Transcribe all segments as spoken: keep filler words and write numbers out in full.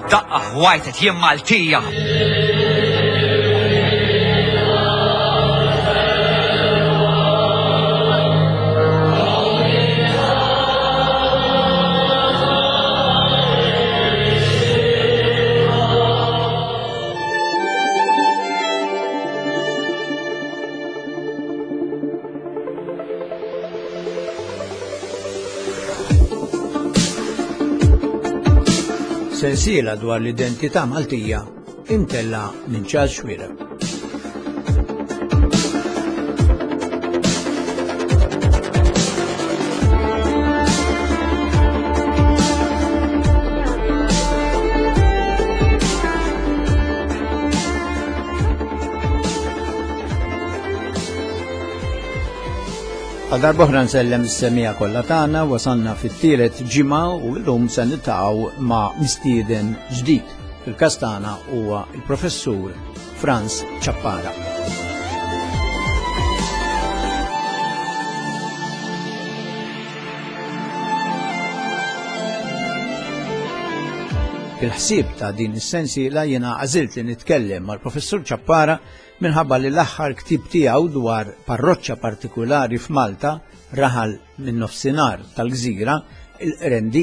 Daqqa ħwajtet jien Maltija. Sensiela dwar l-identità Maltija imtella minn Charles Xuereb. Għal darb'oħra nsellem is-semija kollha tagħna, wasalna fit-tielet ġimgħa u llum se niltaqgħu ma' mistieden ġdid. Fil-każ tagħna huwa il-Professur Frans Ciappara. Fil-ħsieb ta' din is-sensiela jiena għażilt li nitkellem mal-Professur Ciappara minħabba li l-aħħar ktieb tiegħu dwar parroċċa partikulari f'Malta, raħal minn nofsinhar tal-gżira, il-Qrendi,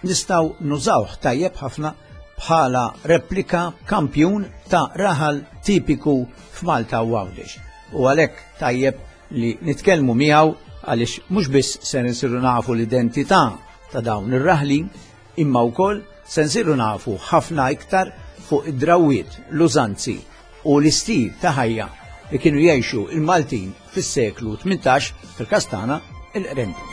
nistgħu nużawh tajjeb ħafna bħala replika kampjun ta' raħal tipiku f'Malta u Għawdex. U għalhekk tajjeb li nitkellmu miegħu għaliex mhux biss se nsiru nafu l-identità ta' dawn ir-raħlin, imma wkoll se nsiru nafu ħafna iktar fuq id-drawwiet, l-użanzi u l-istil ta' ħajja li kienu jgħixu il-Maltin fis-seklu tmintax fil-każ tagħna il-Qrendi.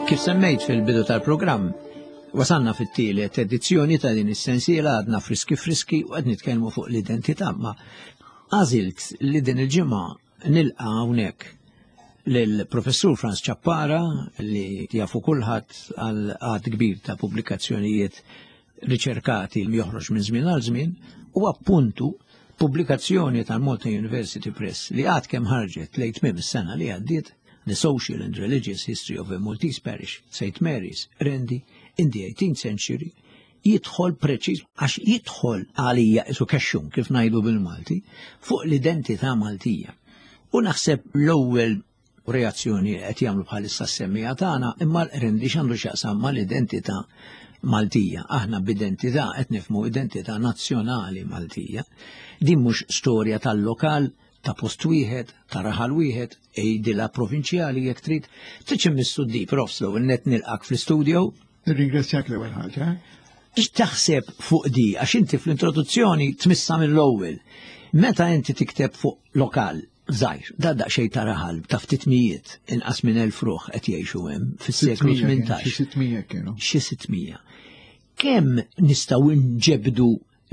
Kif semmejt fil-bidu tal-programm, wasalna fit-tielet edizzjoni ta' din is-sensiela, għadna friski friski u qed nitkellmu fuq l-identità, ma għażilt li din il-ġimgħa nilqa' hawnhekk lill-Professur Frans Ciappara li jafu kulħadd għal għadd kbir ta' pubblikazzjonijiet riċerkati li joħroġ minn żmien għal żmien, u appuntu pubblikazzjoni tal-Malta University Press li għad kemm ħarġet lejn tmiem is-sena li għaddiet, The Social and Religious History of a Maltese Parish, Saint Mary's, Qrendi, in the eighteenth Century, jidħol preċiż, għax jidħol għalija isu kexxun kif ngħidu bil-Malti, fuq l-identità Maltija. U naħseb l-ewwel reazzjoni qed jagħmlu bħalissa s-semmija tagħna, imma l-Qrendi x'għandu x'jaqsam mal-identità Maltija. Aħna b'identità qed nifhmu identità nazzjonali Maltija. Din mhux storja tal-lokal, ta' post wieħed, ta' raħal wieħed, ejdilha provinċjali jekk trid. Tridx immissu d-dip, Profs, l-ewwel net nilqak fl-istudio. Nirringrazzjak l-ewwel ħaġa. X'taħseb fuq di? Għax inti fl-introduzzjoni tmissa mill-ewwel. Meta inti tikteb fuq lokal żgħir, da daqsxejn ta' raħal ta' ftit mijiet, inqas minn elf ruħ qed jgħixu hemm fis-seklu Sitt mija kienu, tmintax. Xi sitt mija kienu. Xi sitt mija. Kemm nistgħu nġebdu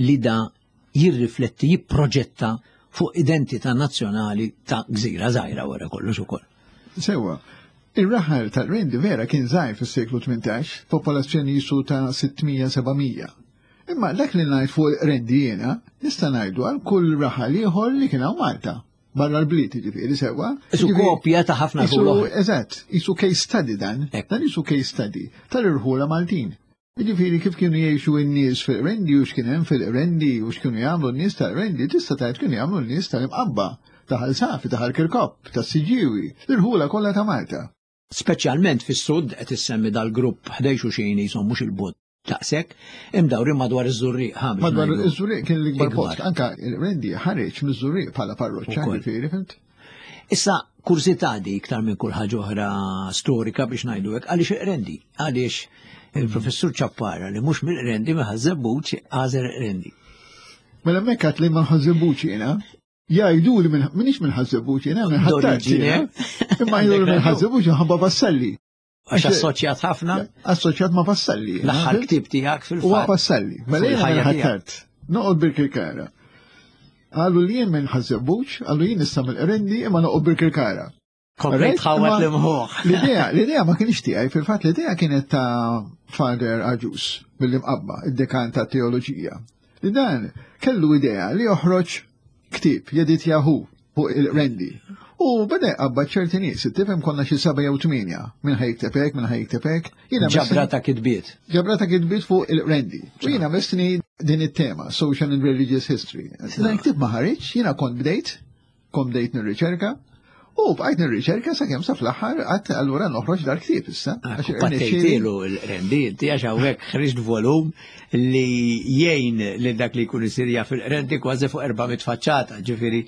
li da jirrifletti, jipproġetta fuq identità nazzjonali ta' gżira żgħira wara kollox ukoll? Sewwa, ir-raħal tal-Qrendi vera kien żgħir fis-seklu tmintax, popolazzjoni jisu ta' sitt mija, seba' mija. Imma dak li ngħid fuq il-Qrendi jiena, nista' ngħidu għal kull raħal ieħor li kien hawn Malta. Barra l-bliet, ġifieri, sewwa. Isu Ġifieri, kopja ta' ħafna isu rħula oħra. Eżatt, isu case study dan. Ekk. Dan isu case study tal-irħula Maltin. Ġifieri kif kienu jgħixu n-nies fil-Qrendi u x'kien hemm fil-Qrendi u x'kienu jagħmlu n-nies tal-Qrendi, tista' tgħid kienu jagħmlu n-nies tal-Imqabba, ta' Ħal Safi, ta' Ħal Kirkop, tas-Siġġiewi, l-irħula kollha ta' Malta. Speċjalment fis-sud qed issemmi dal-grupp ħdejn xulxin jisom mhux il-bot daqshekk, imdawrin madwar iż-Żurrieq, ħa biex Madwar ngħidu. iż-Żurrieq kien l-ikbar Ikbar. post, anka il-Qrendi ħareġ miż-Żurrieq bħala parroċċa, Ukoll. ġifieri, fimt? Issa, kurżità di iktar minn kull ħaġa oħra storika biex ngħidu hekk, għaliex il-Qrendi? Għaliex il-Professur Ciappara li mhux mill-Qrendi ma Ħaż-Żebbuġ għażel il-Qrendi. Mela hemmhekk għad li ma Ħaż-Żebbuġ jiena, jgħidu li minn-, minix minn Ħaż-Żebbuġ jiena, minn Ħ'Attard D'oriġine. jiena. Imma jgħidu li minn Ħaż-Żebbuġ minħabba Vassalli. Għax assoċjat ħafna? Assoċjat ma' Vassalli. L-aħħar ktieb tiegħek fil-fatt. Huwa Vassalli. Mela Fuq jiena il-ħajja minn tiegħek. Ħ'Attard. Noqgħod Birkirkara. Qalu li jien minn Ħaż-Żebbuġ, qalu jien issa mill-Qrendi imma noqgħod Birkirkara. Komplejt Right? tħawwat Imma l-imħuħ. L-idea, l-idea ma kienx tiegħi, fil-fatt l-idea kienet ta' Father Agius mill-Imqabba, id-dekan ta' teoloġija. Li dan kellu idea li joħroġ ktieb jeditjahu. fuq il-Qrendi. U beda jqabbad ċerti nies, tifhem konna xi seba' jew tmienja, minn ħa jikteb hekk, minn ħa jikteb hekk. Ġabra ta' kitbiet. Ġabra ta' kitbiet fuq il-Qrendi. U jiena messni din it-tema, Social and Religious History. Dan ktieb ma ħareġ, jiena kont bdejt, kont bdejt nirriċerka, u bqajt nirriċerka sakemm sa fl-aħħar qatt allura noħroġ dal-ktieb issa. Pattejtilu l-Qrendi, inti għax hawnhekk ħriġt volum li jgħin lil dak li jkun isir jaf il-Qrendi kważi fuq erba' mitt faċċata, ġifieri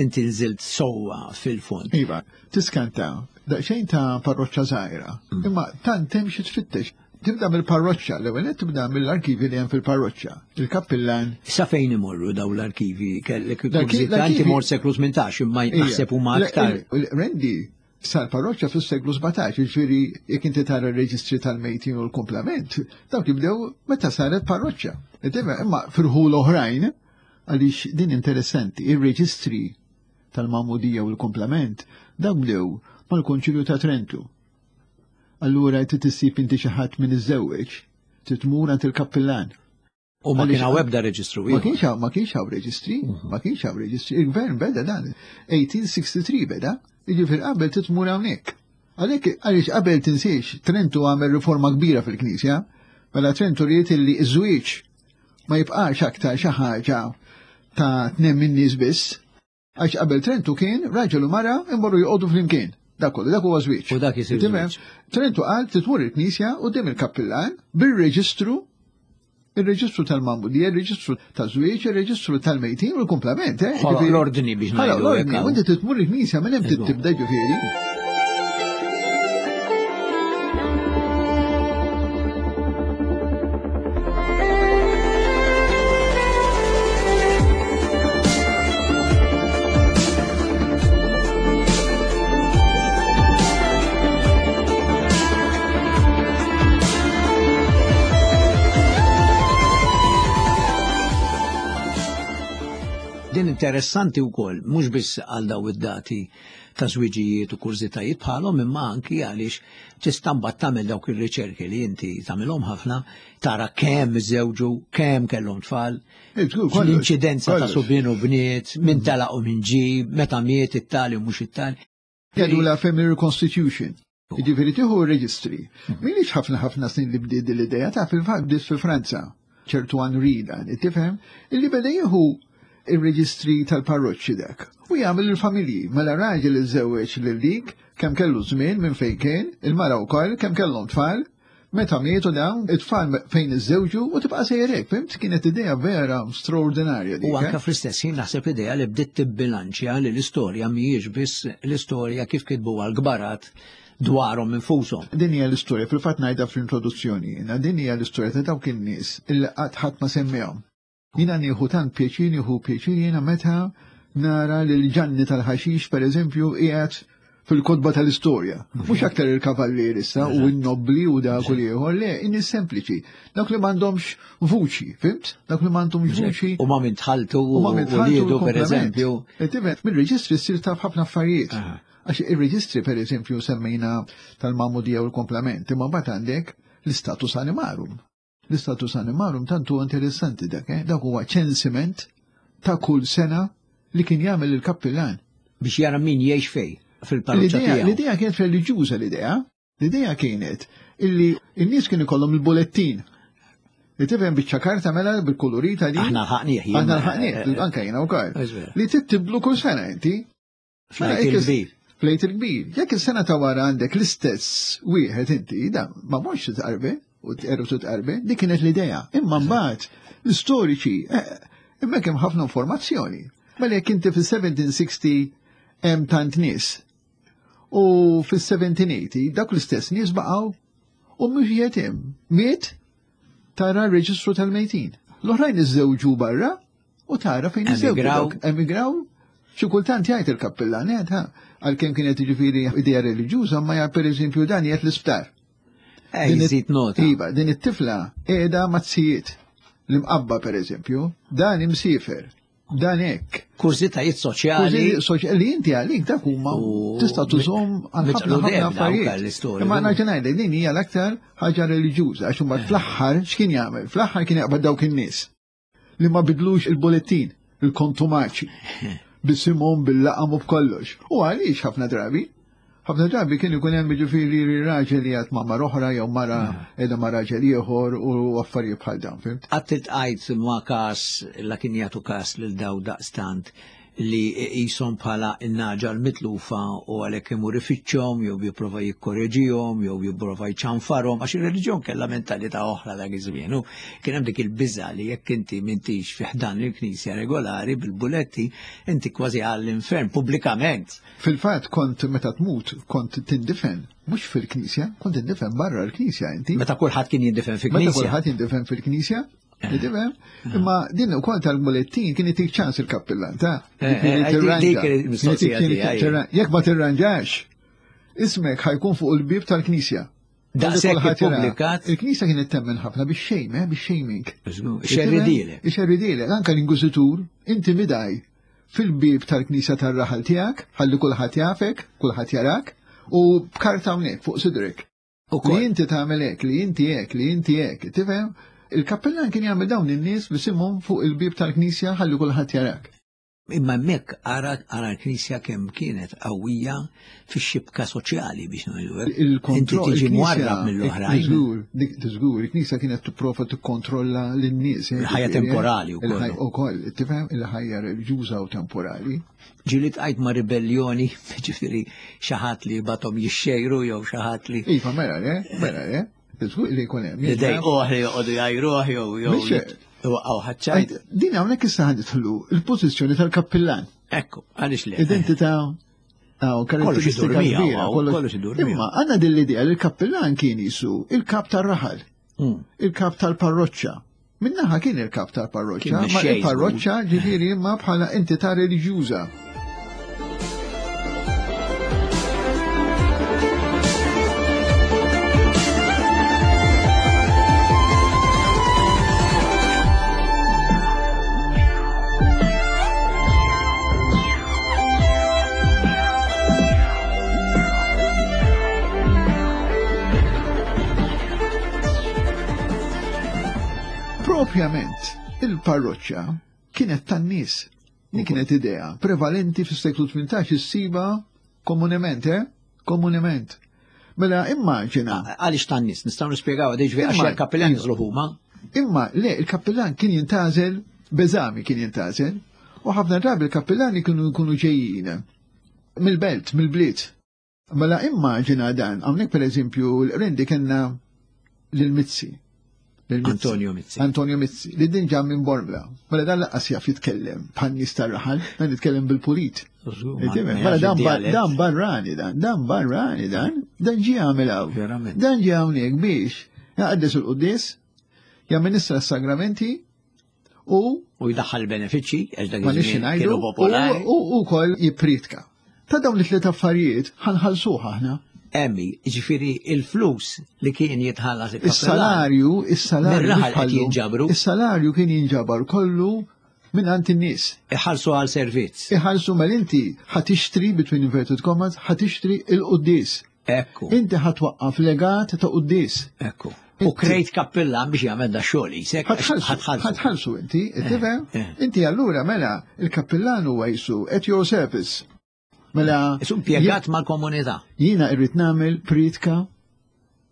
inti nżilt sewwa fil-fond. Iva, tiskanta, daqsxejn ta' parroċċa żgħira, imma tant hemm xi tfittex. Tibda mill-parroċċa, l-ewwel nett tibda mill-arkivi li hemm fil-parroċċa, il-kappillan. Sa fejn imorru daw l-arkivi? Kellek kurżità, inti mort seklu tmintax, imma naħseb huma aktar. Il-Qrendi sar parroċċa fis-seklu sbatax, jiġifieri jekk inti tara r-reġistri tal-mejtin u l-kumplament, dawk jibdew meta saret parroċċa. Imma firħul oħrajn, għaliex din interessanti, ir-reġistri tal-Magħmudija u l-kumplament, dawk bdew mal-Konċilju ta' Trentu. Allura trid issib inti xi ħadd minn iżżewweġ, trid tmur għand il-kappillan. U ma kien hawn ebda reġistru ieħor. Ma kienx hawn, ma kienx hawn reġistri, ma kienx hawn reġistri. Il-gvern beda dan, eighteen sixty-three beda, jiġifieri qabel trid tmur hawnhekk. Għalhekk għaliex qabel tinsiex, Trentu għamel riforma kbira fil-Knisja, mela Trentu ried illi ż-żwieġ ma jibqax aktar xi ħaġa ta' tnejn min-nies biss, għax qabel Trentu kien raġel u mara imorru joqogħdu flimkien. Dak kollu, dak huwa żwieġ. U dak isir żwieġ. Trentu qal titmur il-Knisja quddiem il-kappillan bir-reġistru, ir-reġistru tal-Magħmudija, ir-reġistru taż-żwieġ, ir-reġistru tal-mejtin u l-kumplament, eh? Ħoloq l-ordni biex Ħoloq ngħidu l-ordni, hekk u inti titmur il-Knisja minn hemm Eżatt. tibda ġifieri. Din interessanti wkoll, mhux biss għal daw id-dati ta' żwiġijiet u kurżitajiet bħalhom, imma anki għaliex tista' mbagħad tagħmel dawk ir-riċerki li inti tagħmilhom ħafna, tara kemm iżewġu, kemm kellhom tfal, Eh, żgur, kollox, l-inċidenza ta' kollox. subien u bniet, min telaq u min ġie, meta miet it-tali u mhux it-tali. Jgħidu la Family Reconstitution. Jiġifieri tieħu r-reġistri. M'ilix ħafna ħafna snin li bdiet din l-idea ta' fil-fatt bdiet fi Franza, ċertu Henri dan, tifhem, illi beda jieħu ir-reġistri tal-parroċċi dak. U jagħmel il-familji, mela raġel iżewweġ lil dik, kemm kellu żmien minn fejn kien, il-mara wkoll kemm kellhom tfal, meta mietu dawn, it-tfal fejn iżżewġu u tibqa' sejrek, fimt? Kienet idea vera straordinarja dik, U anke eh? fl-istess ħin naħseb idea li bdiet tibbilanċja li l-istorja mhijiex biss l-istorja kif kitbuha l-kbarat dwarhom infushom. Din hija l-istorja, fil-fatt ngħidha fl-introduzzjoni, jiena, din hija l-istorja ta' dawk in-nies illi qatt ħadd ma semmihom. Jiena nieħu tant pjaċir, nieħu pjaċir jiena meta nara lil Ġanni tal-ħaxix, per eżempju, qiegħed fil-kotba tal-istorja. Mhux aktar il-kavallier issa u n-nobbli u dak u l-ieħor, le, in-nies sempliċi. Dawk li m'għandhomx vuċi, fimt? Dawk li m'għandhomx vuċi. U ma minn tħaltu U ma minn u tħaltu liedu, per l-komplement. eżempju. E tifhem, mir-reġistri ssir taf ħafna affarijiet. Aha. Għax ir-reġistri, per eżempju, semmejna tal-Magħmudija u l-komplement, imma mbagħad għandek l-istatus animarum. L-istatus animarum tant huwa interessanti dak, eh? Dak huwa ċensiment ta' kull sena li kien jagħmel il-kappillan. Biex jara min jgħix fej fil-parroċċa L-idea, tiegħu. l-idea kienet reliġjuża l-idea. L-idea kienet illi n-nies kienu ikollhom il-bulettin. Li tifhem biċċa karta mela bil-kolorita di. Aħna ħaqnieh, jien. Aħna ħaqnieh, anke jiena wkoll. Eżver. Li tittiblu kull sena inti. Flejt Mela, jekk is- il-kbir. Flejt il-kbir. Jekk is-sena ta' wara għandek l-istess wieħed inti, da ma mhux tqarbi u tqerru tqarbi, dik kienet l-idea. Imma mbagħad l-istoriċi, eh, imma hemm ħafna informazzjoni. Mela jekk inti fis-seventeen sixty hemm tant nies u fis-seventeen eighty dak l-istess nies baqgħu u mhux qiegħed hemm. Miet tara r-reġistru tal-mejtin. L-oħrajn iżżewġu barra u tara fejn iżżewġu. Emigraw. Dawk emigraw. Xi kultant jgħid il-kappillan, jgħid, ha, għalkemm kienet jiġifieri idea reliġjuża, ma jgħid pereżempju dan jgħid l-isptar. Eh, Din it- jżid nota. Iva, din it-tifla qiegħda mazzijiet l-imqabba pereżempju, dan imsiefer, dan hekk. Kurżitajiet soċjali. Kurżitajiet soċjali li inti għalik dak huma U tista' tużhom għal mitqlu ħafna ħafna dejjem dawk affarijiet. għall-istorja. Imma nerġa' ngħidlek din hija l-aktar ħaġa reliġjuża għax huma fl-aħħar x'kien jagħmel? Fl-aħħar kien jaqbad dawk in-nies li ma bidlux il-bulettin, il-kontumaċi. Bisimhom bil-laqam u b'kollox. U għaliex ħafna drabi? Ħafna drabi kien ikun hemm jiġifieri raġel li qed ma' mara oħra jew mara qiegħda ma' raġel ieħor u affarijiet bħal dawn, fimt? Qatt iltqajt ma' każ la kien jagħtu każ lil daw daqstant li qishom bħala n-naġa l-mitlufa u għalhekk imur ifittxhom jew jipprova jikkoreġihom jew jipprova jċanfarhom għax ir-reliġjon kellha mentalità oħra dak iż-żmien. U kien hemm dik il-biża' li jekk inti m'intix fi ħdan il-Knisja regolari bil-buletti inti kważi għall-infern pubblikament. Fil-fatt kont meta tmut kont tindifen mhux fil-Knisja, kont tindifen barra l-Knisja inti. Meta kulħadd kien jindifen fil-Knisja. Meta kulħadd jindifen fil-Knisja. Imma din ukoll tal-bulettin kien itik ċans il-kappillan, ta' jekk ma tirranġax, ismek ħajkun fuq il-bib tal-Knisja. Daqshekk ippubblikat. Il-Knisja kienet temmen ħafna bix-xejm, bix-shaming. Ixerridilek. Ixerridilek, anke l-Inkwiżitur intimidaj fil-bib tal-Knisja tar-raħal tiegħek, ħalli kulħadd jafek, kulħadd jarak, u b'karta hawnhekk fuq sidrek. Li inti tagħmel hekk, li inti hekk, li inti hekk, tifhem? Il-kappellan kien jagħmel dawn in-nies bisimhom fuq il-bib tal-Knisja ħalli kulħadd jarak. Imma hemmhekk ara ara l-Knisja kemm kienet qawwija fix-xibka soċjali biex ngħidu hekk. Inti tiġi mwarrab mill-oħrajn. Żgur, dik żgur, il-Knisja kienet tipprova tikkontrolla lin-nies. Il-ħajja temporali wkoll. Ukoll, tifhem, il-ħajja reliġjuża u temporali. Ġieli tqajt ma' ribellioni, ġifieri xi ħadd li bathom jixxejru jew xi ħadd li. Iva, mela le, mela le. Żgur li jkun hemm. Li dejquh li joqogħdu jgħajruh jew jew iwaqqgħu ħaċċajt. Din hawnhekk issa ħa nidħlu il-pożizzjoni tal-kappillan. Ekku, għaliex le. Identità hawn karatteristika kbira, kollox idur miegħu. Imma għandna din l-idea li l-kappillan kien jisu il-kap tar-raħal, il-kap tal-parroċċa. Minnaħa kien il-kap tal-parroċċa, ma il-parroċċa ġifieri imma bħala entità reliġjuża. Propjament, il-parroċċa kienet tan-nies. Din kienet idea prevalenti fis-seklu tmintax issiba komunement, eh? Komunement. Mela immaġina. Għaliex tan-nies, nistgħu nispjegaw għadix għax il-kappillan jiżlu huma. Imma le, il-kappillan kien jintgħażel, beżami kien jintgħażel, u ħafna drabi il-kappillani kienu jkunu ġejjin mill-belt, mill-bliet. Mela immaġina dan, hawnhekk pereżempju l-Qrendi kellna lil Mizzi. Antonio Mizzi. Antonio Mizzi, li din ġa minn Bormla. Mela dan laqqas jaf jitkellem bħal nies tar-raħal, dan jitkellem bil-pulit. Mela dan barrani dan, dan barrani dan, dan ġie għamel hawn. Dan ġie hawnhekk biex jaqaddes il-quddies, jamministra s-sagramenti u u jdaħħal benefiċċji għax dak iż-żmien kienu popolari. U wkoll jippriedka. Ta' dawn it-tliet affarijiet ħanħallsuh aħna. Emmi, ġifieri il-flus li kien jitħallas il-salarju, is-salarju jinġabru. Is-salarju kien jinġabar kollu minn għand in-nies. Iħallsu għal servizz. Iħallsu mela inti ħa tixtri between inverted commas, ħa tixtri il-quddies. Ekku. Inti ħa twaqqaf legat ta' quddies. Ekku. U krejt kappillan biex jagħmel da xogħol isek. Ħatħallsu inti, tifhem? Inti allura mela il-kappillan huwa jisu at your service. Mela Isu impjegat mal-komunità. Jiena irrid nagħmel priedka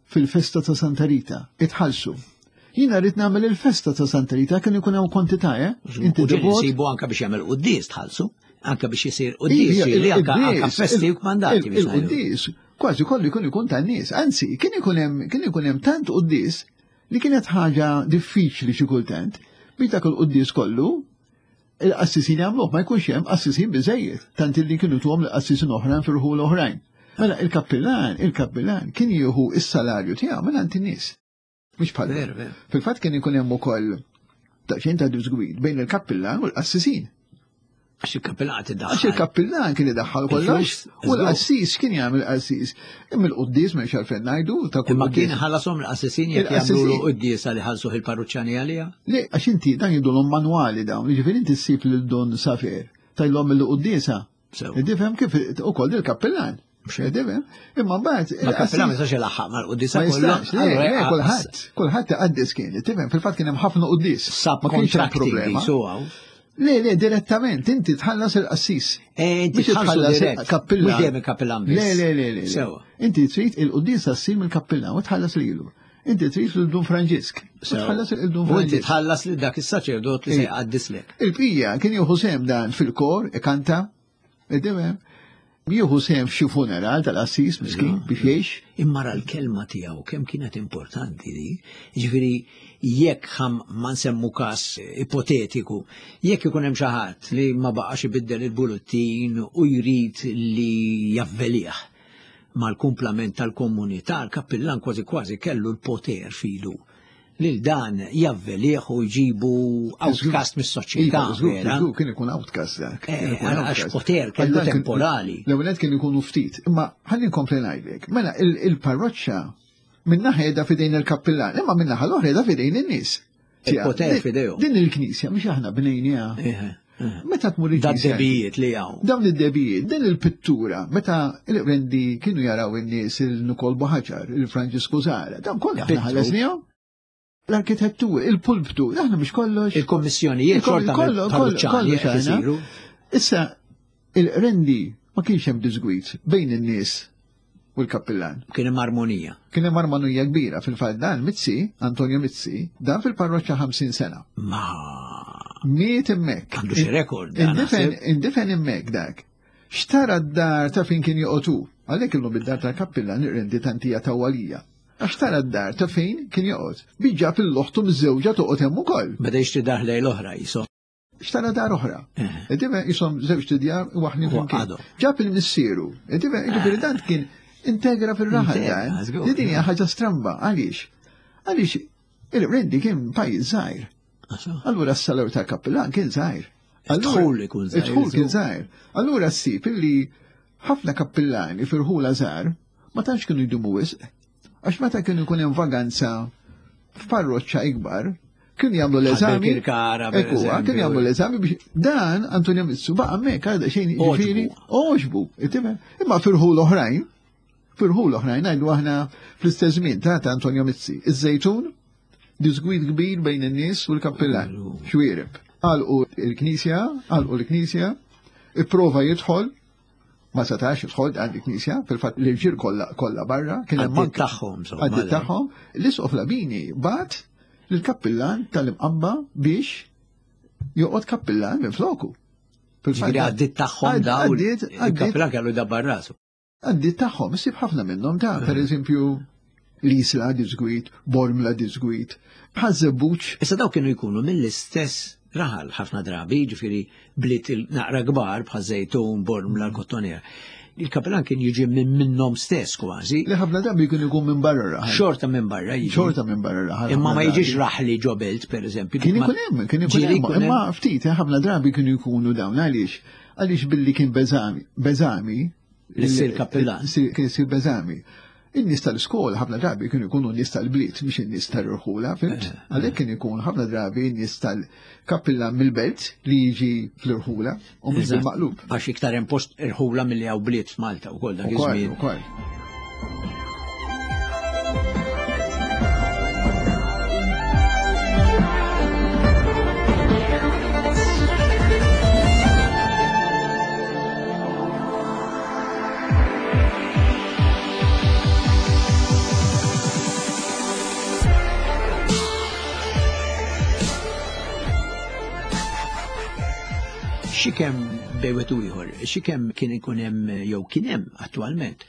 fil-festa ta' Santa Rita, itħallsu. Jiena rrid nagħmel il-festa ta' Santa Rita kien ikun hawn kwantità, eh? Inti nsibu anke biex jagħmel quddies tħallsu, anke biex isir quddies li anke festi u kmandati biex Il-quddies kważi kollu jkun ikun tan-nies. Anzi, kien ikun hemm kien ikun hemm tant quddies li kienet ħaġa diffiċli xi kultant biex dak il-quddies kollu il-qassisin jagħmluh, ma jkunx hemm qassisin biżejjed, tant li kienu tuhom l-qassisin oħrajn fir-rħul oħrajn. Mela il-kappillan, il-kappillan kien jieħu s-salarju tiegħu minn għand in-nies. Mhux bħal. Fil-fatt kien ikun hemm ukoll daqsxejn ta' disgwid bejn il-kappillan u l-qassisin. Għax il-kappillan qed idaħħal. Għax il-kappillan kien idaħħal kollox u l-qassis kien jagħmel qassis. Imma l-quddies m'hemmx għalfejn ngħidu ta' kull. Imma kien ħallasom l-qassisin jekk jagħmlu quddiesa li ħallsuh il-parruċċani għaliha? Le, għax inti dan jidulhom manwali dawn, jiġifieri inti ssib lil Don Safer tajlhom il-quddiesa. Tifhem kif ukoll il-kappillan. Imma mbagħad Ma kappillan ma jistax ilaħħaq mal-quddiesa kollha. Kulħadd, kulħadd iqaddes kien, tifhem fil-fatt kien hemm ħafna quddies. Ma kienx hemm problema. Le, le, direttament, inti tħallas il-qassis. Eh, inti tħallas il-kappillan. Mhux dejjem il-kappillan biss. Le, le, le, le. Sewa. Inti trid il-quddiesa ssir mill-kappillan u tħallas lilu. Inti trid lil Dun Franġisk. Tħallas lil Dun Franġisk. U inti tħallas lil dak is-saċerdot li se jqaddislek. Il-bqija kien jieħu sehem dan fil-kor, ikanta, id-dimem. Jieħu sehem f'xi funeral tal-qassis miskin biex jgħix. Imma ra l-kelma tiegħu kemm kienet importanti di. Ġifieri jekk ħam ma nsemmu każ ipotetiku, jekk ikun hemm xi ħadd li ma baqax ibiddel il-bullettin u jrid li javvelih mal-kumplament tal-komunità, l-kappillan kważi kważi kellu l-poter filu lil dan javvelih u jġibu outcast mis-soċjetà. Iva, kien ikun outcast dak. Għax poter kellu temporali. L-ewwel kien ikunu ftit, imma ħalli nkompli ngħidlek. Mela il-parroċċa minnaħa qiegħda f'idejn il-kappillan, imma minnaħa l-oħra qiegħda f'idejn in-nies. Il-poter f'idejhom. Din il-knisja mhix aħna bnejniha. Meta tmur il-knisja. Dad-debijiet li hawn. Dawn id-debijiet, din il-pittura, meta il-Qrendi kienu jaraw in-nies il-Nikol Buħaġar, il-Franġisku Zara, dawn kollha aħna ħallasnihom. L-arkitettura, il-pulptu, aħna mhux kollox. Il-kommissjonijiet xorta kollox. Issa, il-Qrendi ma kienx hemm disgwid bejn in-nies u l-kappillan. Kien hemm armonija. Kien hemm armonija kbira. Fil-fatt dan Mizzi, Antonio Mizzi, dan fil-parroċċa ħamsin sena. Ma miet hemmhekk. Għandu xi rekord. Indifen hemmhekk dak. Xtara d-dar ta' fejn kien joqgħod hu. Għalhekk illum id-dar tal-kappillan ir-Qrendi tantija tawwalija. Għax tara d-dar ta' fejn kien joqgħod. Biġġa fil-loħtu miż-żewġa toqgħod hemm ukoll. Beda jixtri dar lejn l-oħra jisom. Xtara dar oħra. Idime jisom żewġ tidjar waħni flimkien. Ġab il-missieru. Idime jiġifieri dan kien integra fir-raħal dan. Din hija ħaġa stramba. Għaliex? Għaliex il-Qrendi kien pajjiż żgħir. Allura s-salar tal-kappillan kien żgħir. Id-dħul ikun żgħir. Id-dħul kien żgħir. Allura ssib illi ħafna kappillani fir-ħula żgħar ma tantx kienu jdumu wisq. Għax meta kienu jkun hemm vaganza f'parroċċa ikbar, kienu jagħmlu l-eżami. Kienu jagħmlu l-eżami biex dan Antonio Mizzi baqa' hemmhekk għadha xejn jiġifieri għoġbu. Imma firħul oħrajn, firħul oħrajn ngħidu aħna fl-istess żmien ta' Antonio Mizzi. Iż-Żejtun, disgwid kbir bejn in-nies u l-kappillan. Xwiereb. Għalqu l-knisja, għalqu l-knisja, ipprova jidħol, ma setax jidħol għand il-knisja, fil-fatt l-irġiel kollha kollha barra, kien hemm manka tagħhom. Għaddit tagħhom, l-Isqof Labini bagħat lill-kappillan tal-Imqabba biex joqgħod kappillan minn floku. Fil-fatt għaddit tagħhom dawn. Il-kappillan kellu jdabbar rasu. Għaddit tagħhom, issib ħafna minnhom ta' pereżempju l-Isla disgwid, Bormla disgwid, Ħaż-Żebbuġ. Issa daw kienu jkunu mill-istess raħal ħafna drabi, ġifieri bliet naqra kbar bħal Żejtun, Bormla, l-Kottonera. Il-kappillan kien jiġi minn minnhom stess kważi. Li ħafna drabi kien ikun minn barra raħal. Xorta minn barra jiġi. Xorta minn barra raħal. Imma ma jiġix raħli ġo belt, pereżempju. Kien ikun hemm, kien ikun hemm, imma ftit ħafna drabi kienu jkunu dawn għaliex għaliex billi kien beżami, beżami li ssir kappillan. Kien isir beżami. In-nies tal-iskola ħafna drabi kienu jkunu n-nies tal-bliet, mhux in-nies tal-irħula, fimt? Għalhekk kien ikun ħafna drabi n-nies tal-kappillan mill-belt li jiġi fl-irħula u mhux bil-maqlub. Għax iktar hemm post irħula milli hawn bliet f'Malta wkoll dak iż-żmien. Ukoll. Xikem bejwet u ieħor, xikem kien ikun hemm jew kien hemm attwalment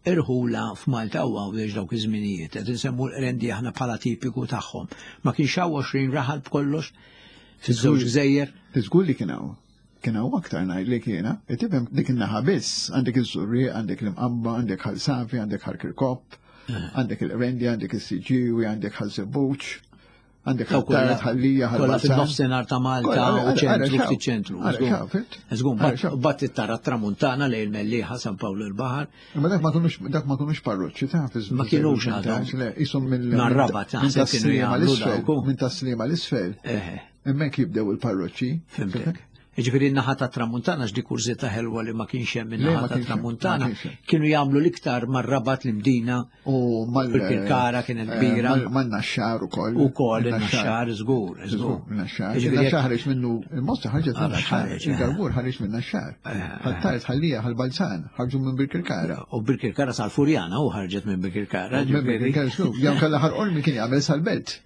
irħula f'Malta u Għawdex dawk iż-żminijiet, qed insemmu l-Qrendi aħna bħala tipiku tagħhom. Ma kienx hawn għoxrin raħal b'kollox fiż-żewġ gżejjer? Żgur li kien hawn. Kien hawn aktar ngħidlek jiena. Tifhem dik in-naħa biss, għandek iż-Żurrieq, għandek l-Imqabba, għandek Ħal Safi, għandek Ħal Kirkop, għandek il-Qrendi, għandek is-Siġġiewi, għandek Ħal Żebbuġ. Għandek ħattar, ħallija, ħallija. Fil-nofsinhar ta' Malta u ċentru, ftit ċentru. Żgur, bat tara tramuntana lejn il-Mellieħa, San Pawl il-Baħar. Imma dak ma kinux dak ma kinux parroċċi ta' fi Ma kinux għadhom. Ishom minn Rabat naħseb kienu jagħmlu dawk. Minn tas-Sliema l-isfel. Hemmhekk jibdew il-parroċċi. Fimtek. Ġifieri n-naħa ta' Tramuntana x'di kurżità ħelwa li ma kienx hemm in-naħa ta' Tramuntana, kienu jagħmlu l-iktar mar-Rabat l-Imdina u mal-Birkirkara kienet kbira. Man-Naxxar ukoll. Ukoll in-Naxxar żgur, żgur. Naxxar. In-Naxxar ħareġ minnu il-Mosta ħarġet minn Naxxar. Il-Garbur ħareġ minn Naxxar. Ħattart ħallija ħal-Balzan ħarġu minn Birkirkara. U Birkirkara sal-Furjana u ħarġet minn Birkirkara. Minn Birkirkara żgur. Jew kellha Ħal Qormi kien jagħmel sal-Belt.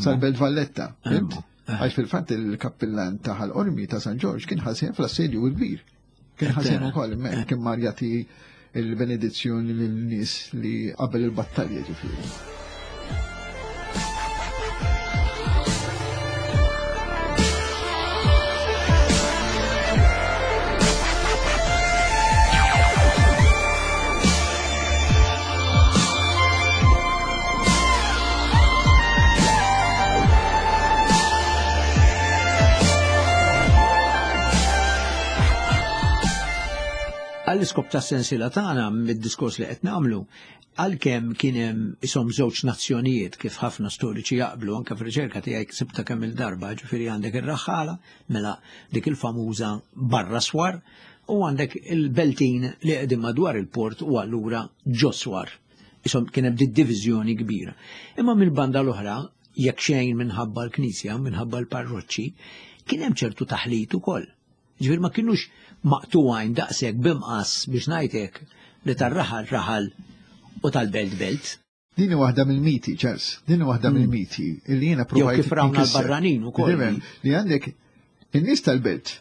Sal-Belt Valletta. Għax fil-fatt il-kappillan ta' Ħal Qormi ta' San Ġorġ kien ħasien fl-assedju l-kbir. Kien ħasien ukoll hemmhekk kien mar jagħti il-benedizzjoni lin-nies li qabel il-battalja ġifieri. Għall-iskop ta' sensiela tagħna mid-diskors li qed nagħmlu, għalkemm kien hemm ishom żewġ nazzjonijiet kif ħafna storiċi jaqblu, anke fir-riċerka tiegħi ksibta kemm il-darba, ġifieri għandek ir-raħħala, mela dik il-famuża barra swar, u għandek il-beltin li qegħdin madwar il-port u allura ġo swar. Ishom kien hemm diviżjoni kbira. Imma mill-banda l-oħra, jekk xejn minħabba l-knisja, minħabba l-parroċċi, kien hemm ċertu taħlit ukoll. Ġifieri ma kienux maqtugħin daqshekk b'imqas biex ngħidlek li tar-raħal raħal u tal-belt belt. Din waħda mill-miti, Charles, din waħda mill-miti illi jiena provajt. Jew kif rawna l-barranin ukoll. Li għandek in-nies tal-belt,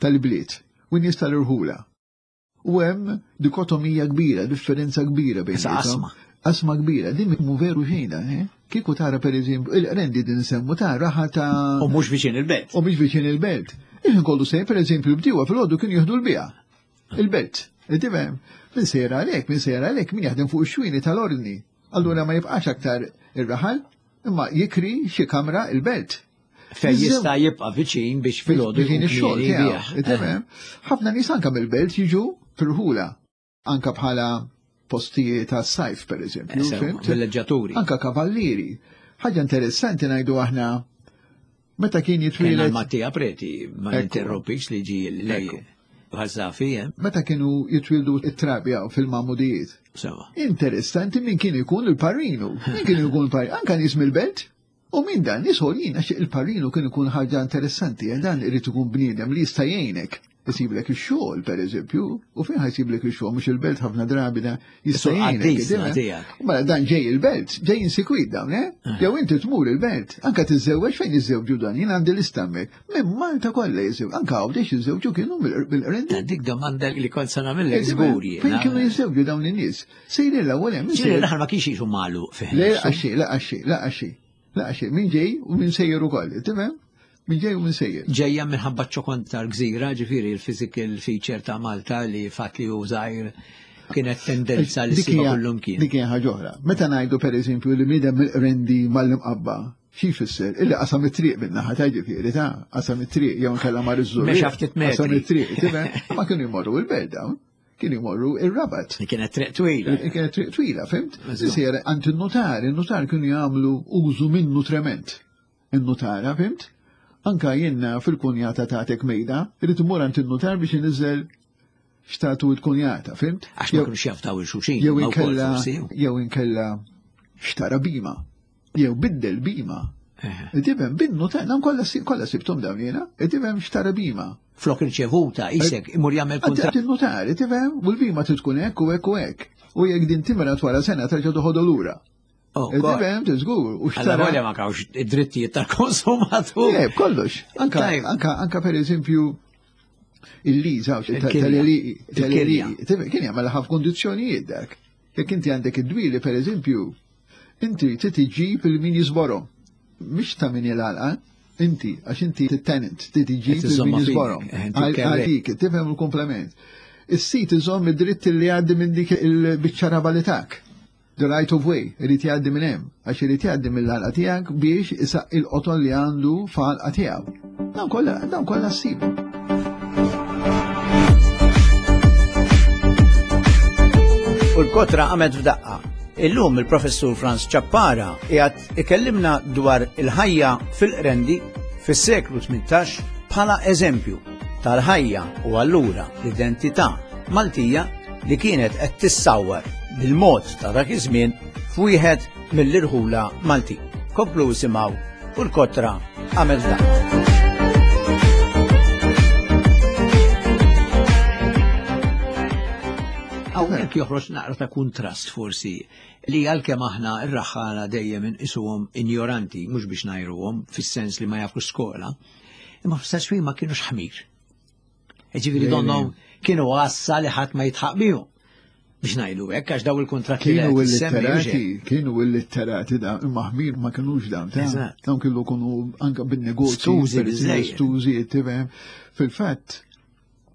tal-bliet, u n-nies tal-irħula. U hemm dikotomija kbira, differenza kbira bejn. Asma. Asma kbira, din mhu veru xejn, eh? Kieku tara pereżempju, il-Qrendi din semmu ta' raħa ta' U mhux viċin il-belt. U mhux viċin il-belt. Iħin kollu sejn, per eżempju, bdiewa fil-għodu kienu jieħdu l-bija. Il-belt. Tifhem? Min sejra għalhekk, min sejra għalhekk, min jaħdem fuq ix-xwini tal-ordni. Allura ma jibqax aktar ir-raħal, imma jikri xi kamra il-belt. Fejn jista' jibqa' viċin biex fil-għodu jkun ix-xogħol tiegħu. Ħafna nies anke mill-belt jiġu fil-ħula, anke bħala postijiet tas-sajf, per eżempju. Villeġġaturi. Anke kavallieri. Ħaġa interessanti ngħidu aħna meta kien jitwieled Mattia Preti, ma ninterrompix li ġi lej Ħażafi, eh? Meta kienu jitwieldu it-trabja fil-Mamudijiet. Sewa. Interessanti min kien ikun il-parrinu. Min kien ikun il-parrinu? Anka nies mill-belt. U min dan nies għoljin għax il-parrinu kien ikun ħaġa interessanti, dan irid ikun bniedem li jista' jgħinek. Jisiblek ix-xogħol pereżempju, u fejn ħajsiblek ix-xogħol mhux il-belt ħafna drabi da jista' jgħinek. Mela dan ġej il-belt, ġej insikwit dawn, eh? Jew inti tmur il-belt, anke tiżżewweġ fejn jiżżewġu dan, jien għandi lista hemmhekk. Minn Malta kollha jiżżewġu, anke Għawdex jiżżewġu kienu mill-Qrendi. Dik domanda li kont se nagħmilek żgur jien. Fejn kienu jiżżewġu dawn in-nies? Sejri l-ewwel hemm. Sejri l-aħħar ma kienx jiġu magħluq fih. Le għaxi, la għaxi, la għaxi. La għaxi, min ġej u min sejjer ukoll, tifhem? Min ġej u min sejjer. Ġejja minħabba ċokon tal-gżira, ġifieri il-physical feature ta' Malta li fatt li hu żgħir kienet tendenza li ssibha kullum kien. Dik hija ħaġa oħra. Meta ngħidu pereżempju li bniedem mill-Qrendi mal-Imqabba, xi jfisser? Illi qasam it-triq min-naħa ta' ġifieri ta' qasam it-triq jew inkella mar iż-Żurrieq. Mexa ftit metri. Qasam it-triq, tifhem? Ma kienu jmorru il-belt dawn. Kienu jmorru ir-Rabat. Kienet triq twila. Kienet triq twila, fimt? Isir għand in-notar, in-notar kienu jagħmlu użu minnu trement. In-notara, fimt? Anka jenna fil-kunjata tagħtek mejda, irid imur għand in-notar biex iniżel xtatu l-kunjata, fimt? Għax ma kinux jaftaw il-xuxin. Jew inkella jew inkella xtara bima, jew biddel bima. Tifhem bin-notar, dawn kollha kollha sibthom dawn jiena, tifhem xtara bima. Flok irċevuta, isek, imur jagħmel kuntratt. Il-notar, tifhem, u l-bima trid tkun hekk u hekk u hekk. U jekk din timra wara sena terġa' toħodha lura. Tifhem, tiżgur, u xtara. Alla ma kawx id-drittijiet tal-konsumatur. Le, kollox. Anka, anka, anka per eżempju, il-liża, tal-eli, kien jagħmel ħafna kondizzjonijiet dak. Jekk inti għandek id-dwieli, per eżempju, inti trid iġġib il-min jiżborhom. Mhix ta' min jilgħalqa, inti, għax inti t-tenant, trid iġġib il-min jiżborhom. Għalik, tifhem il-komplement. Is-sit iżomm id-dritt li jgħaddi minn dik il-biċċa raba li tak. The right of way, irid jgħaddi minn hemm, għax irid jgħaddi mill-għalqa tiegħek biex isaq il-qoton li għandu f'għalqa tiegħu. Dawn kollha, dawn kollha ssibu. U l-kotra qamet f'daqqa. Illum il-professur Frans Ciappara qiegħed ikellimna dwar il-ħajja fil-Qrendi fis-seklu tmintax bħala eżempju tal-ħajja u allura l-identità Maltija li kienet qed tissawwar bil-mod ta' dak iż-żmien f'wieħed mill-irħula Malti. Komplu isimgħu u l-kotra għamel dan. Hawnhekk joħroġ naqra ta' kuntrast forsi li għalkemm aħna r-raħħala dejjem inqisuhom injoranti, mhux biex ngħajruhom fis-sens li ma jafux skola, imma fl-istess ħin ma kienux ħmir. Ġifieri donnhom kienu għassa li ħadd ma jitħaq bihom. Biex ngħidu hekk għax daw il-kuntratti li Kienu qed issemmi, mhux illitterati, hekk. kienu illitterati da, imma ħmir ma kienux dawn, ta' Eżatt. dawn kienu kunu anka bin-negozji, Stużi per eżempju, biżżejjed. stużi, tifhem. Fil-fatt,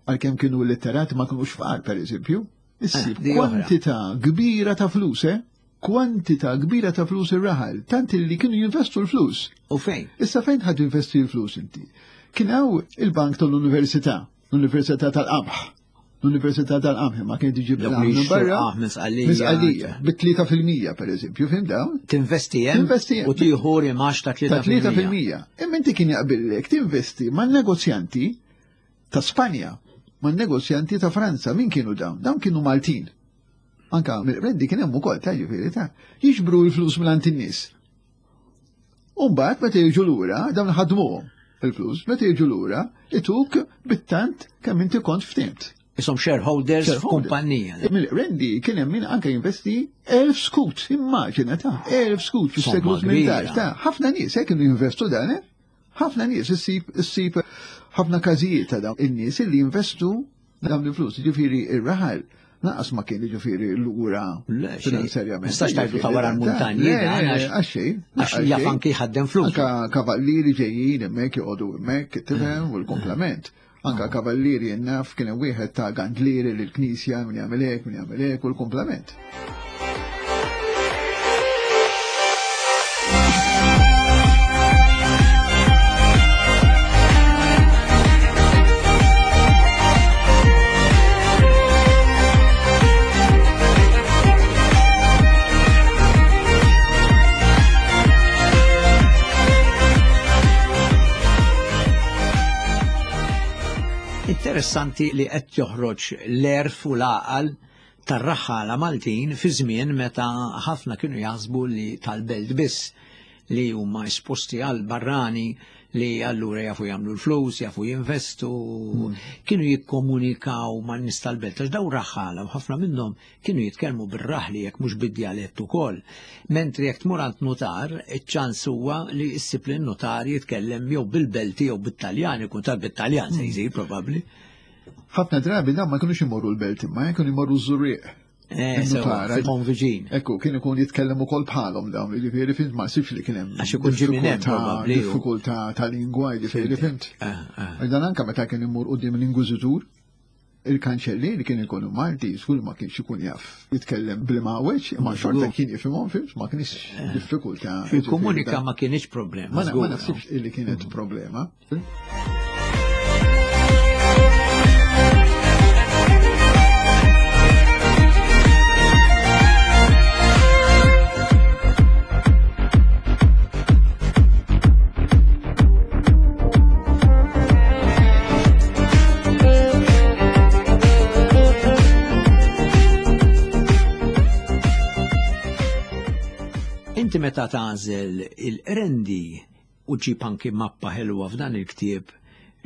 għalkemm kienu illitterati ma kienux fqar, per eżempju, issib Eh, di oħra. kwantità kbira ta' flus, eh? Kwantità kbira ta' flus ir-raħal, tant li kienu jinvestu l-flus. U fejn? Issa fejn ħad investi l-flus inti? Kien hawn il-bank tal-Università, l-Università tal-Qamħ. L-Università tal-Qamħ ma kien tiġi Dawk li bil-qamħ minn jixtru barra. qamħ minn Sqallija. Minn Sqallija, bit-tlieta fil-mija pereżempju, fim dawn? Tinvesti hemm Tinvesti hemm. u tieħu rimax ta' Ta' tlieta tlieta fil-mija. fil-mija. Imma inti kien jaqbillek tinvesti man-negozjanti ta' Spanja, man-negozjanti ta' Franza, min kienu dawn? Dawn kienu Maltin. Anka mill-Qrendi kien hemm ukoll ta' ġifieri ta' jiġbru l-flus minn in-nies. U mbagħad meta jiġu lura dawn ħadmuhom il-flus, meta jiġu lura ituk bit-tant kemm inti kont ftimt. Isom shareholders Shareholder. f'kumpanija. Mill-Qrendi kien hemm min anke jinvesti elf skut, immaġina ta' elf skut fis-seklu Somma kbira. tmintax ta' ħafna nies hekk kienu jinvestu dan, eh? Ħafna nies issib issib ħafna każijiet ta' dawn in-nies li jinvestu dawn il-flus, ġifieri ir-raħal naqas ma kien ġifieri lura Le, xejn. finanzjarjament. Nistax tgħidu ta' wara l-muntanji, Le, dan, le, għax- għax xejn. Għax jaf anki jħaddem flus. Anka kavallieri ġejjin hemmhekk joqogħdu hemmhekk, tifhem, u l-komplement. Anka kavallieri naf kien hemm wieħed ta' gandlieri lill-knisja min jagħmel hekk, min jagħmel hekk u l-komplement. Interessanti li qed joħroġ l-erf u l-għaqal tar-raħħala Maltin fi żmien meta ħafna kienu jaħsbu li tal-belt biss li huma esposti għal barrani li allura jafu jagħmlu l-flus, jafu jinvestu, kienu jikkomunikaw man nies tal-belt, għax daw raħħala u ħafna minnhom kienu jitkellmu bir-raħli jekk mhux bid-djalett ukoll. Mentri jekk tmur għand notar, iċ-ċans huwa li ssib li n-notar jitkellem jew bil-Belti jew bit-Taljan, ikun tal bit-Taljan se jsir probabbli. Ħafna drabi dawn ma kienux imorru l-belt imma kienu jmorru ż-Żurrieq. Eh, sewa, Il-notara. fil-konviġin. Ekku, kien ikun jitkellem ukoll bħalhom dawn, jiġifieri fint ma sibx li kien hemm Għax ikun ġie minn hemm diffikultà- probabbli, u- diffikultà ta' lingwa, jiġifieri fimt. Eh, eh. Għax Dan anka meta kien imur quddiem l-Inkwiżitur, il-kanċellier kien ikun Malti, żgur ma kienx ikun jaf jitkellem bil-mawweġ, imma xorta kien jifhimhom fimt, ma kienx diffikultà. Fil-komunika Jiġifieri ma kienx problema. Ma na- ma żgur, naħsibx illi kienet problema. Inti meta tagħżel il-Qrendi u ġib anki mappa ħelwa f'dan il-ktieb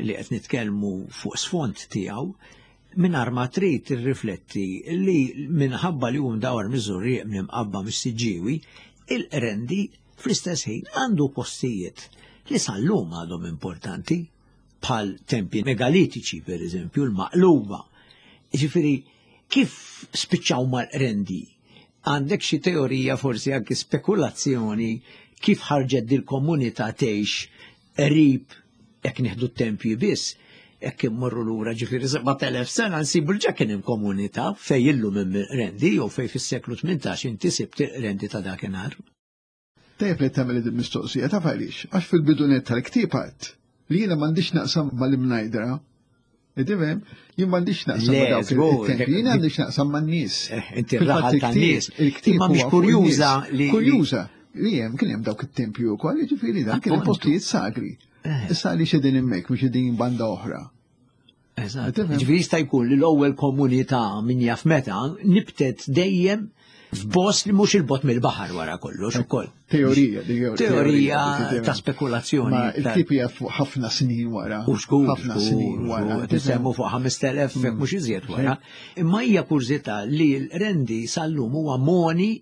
li qed nitkellmu fuq sfond tiegħu, mingħajr ma trid tirrifletti li minħabba li hum dawar miż-Żurrieq minn mis-Siġġiewi, il-Qrendi fl-istess ħin għandu postijiet li sal-lum għadhom importanti bħal tempi megalitiċi per eżempju, l-maqluba. Ġifieri, kif spiċċaw mal-Qrendi? Għandek xi teorija forsi anki spekulazzjoni kif ħarġet dil-komunità tgħix qrib jekk nieħdu t-tempji biss, jekk immorru lura ġifieri seba' telef sena nsibu l-ġa kien hemm komunità fejn illum hemm il-Qrendi jew fejn fis-seklu tmintax inti sibt il-Qrendi ta' dakinhar. Tajjeb li tagħmel din mistoqsija taf għaliex, għax fil-bidunet tal-ktieb għadt li jiena m'għandix naqsam mal-imnajdra. Tifhem, jien m'għandix naqsam Le, ma' dawk żgur, it-tempji, jien għandix naqsam man-nies. Eh, inti Fil-fatt r-raħal il-ktieb- tan-nies. il-ktieb Imma mhix huwa fuq kurjuża in-nies. li- Kurjuża li hemm kien hemm dawk it-tempju wkoll, jiġifieri dan kien hemm Appuntu. postijiet sagri. Eh. Issa għaliex qegħdin hemmhekk mhux qegħdin banda oħra. Eżatt. Tifhem? Ġifieri jista' jkun li l-ewwel komunità min jaf meta nibtet dejjem f'post li mhux il-bogħod mill-baħar wara kollox ukoll. Teorija, di- Teorija dik- ta' spekulazzjoni. Ma ta' il-ktieb hija fuq ħafna snin wara. U żgur, ħafna snin wara. Qed nisemmu fuq ħamest elef jekk mhux iżjed wara. Imma hija kurżità li l-Qrendi sal-lum huwa moni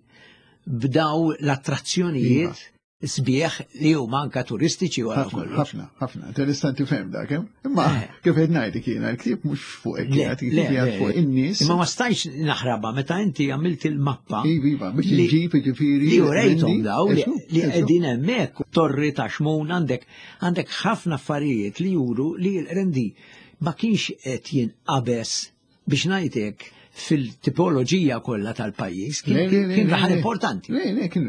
b'daw l-attrazzjonijiet sbieħ li huma anka turistiċi wara ħafna, kollox. ħafna, ħafna. Interessanti ferm dak, eh? Imma Eh. kif qed ngħidlek jiena, il-ktieb mhux fuq hekk, Le, kienet le, il-ktieb le, qiegħed fuq in-nies. Imma ma stajx naħrabha meta inti għamilt il-mappa Iva, iva, biex li- inġib jiġifieri. li urejthom Rendi, daw li eżu, li eżu. qegħdin hemmhekk torri ta' Xmun għandek għandek ħafna affarijiet li juru li l-Qrendi ma kienx qed jinqabeż biex ngħidlek fil-tipoloġija kollha tal-pajjiż kien Le, le, le, kien le, raħal le. importanti. Le, le, kien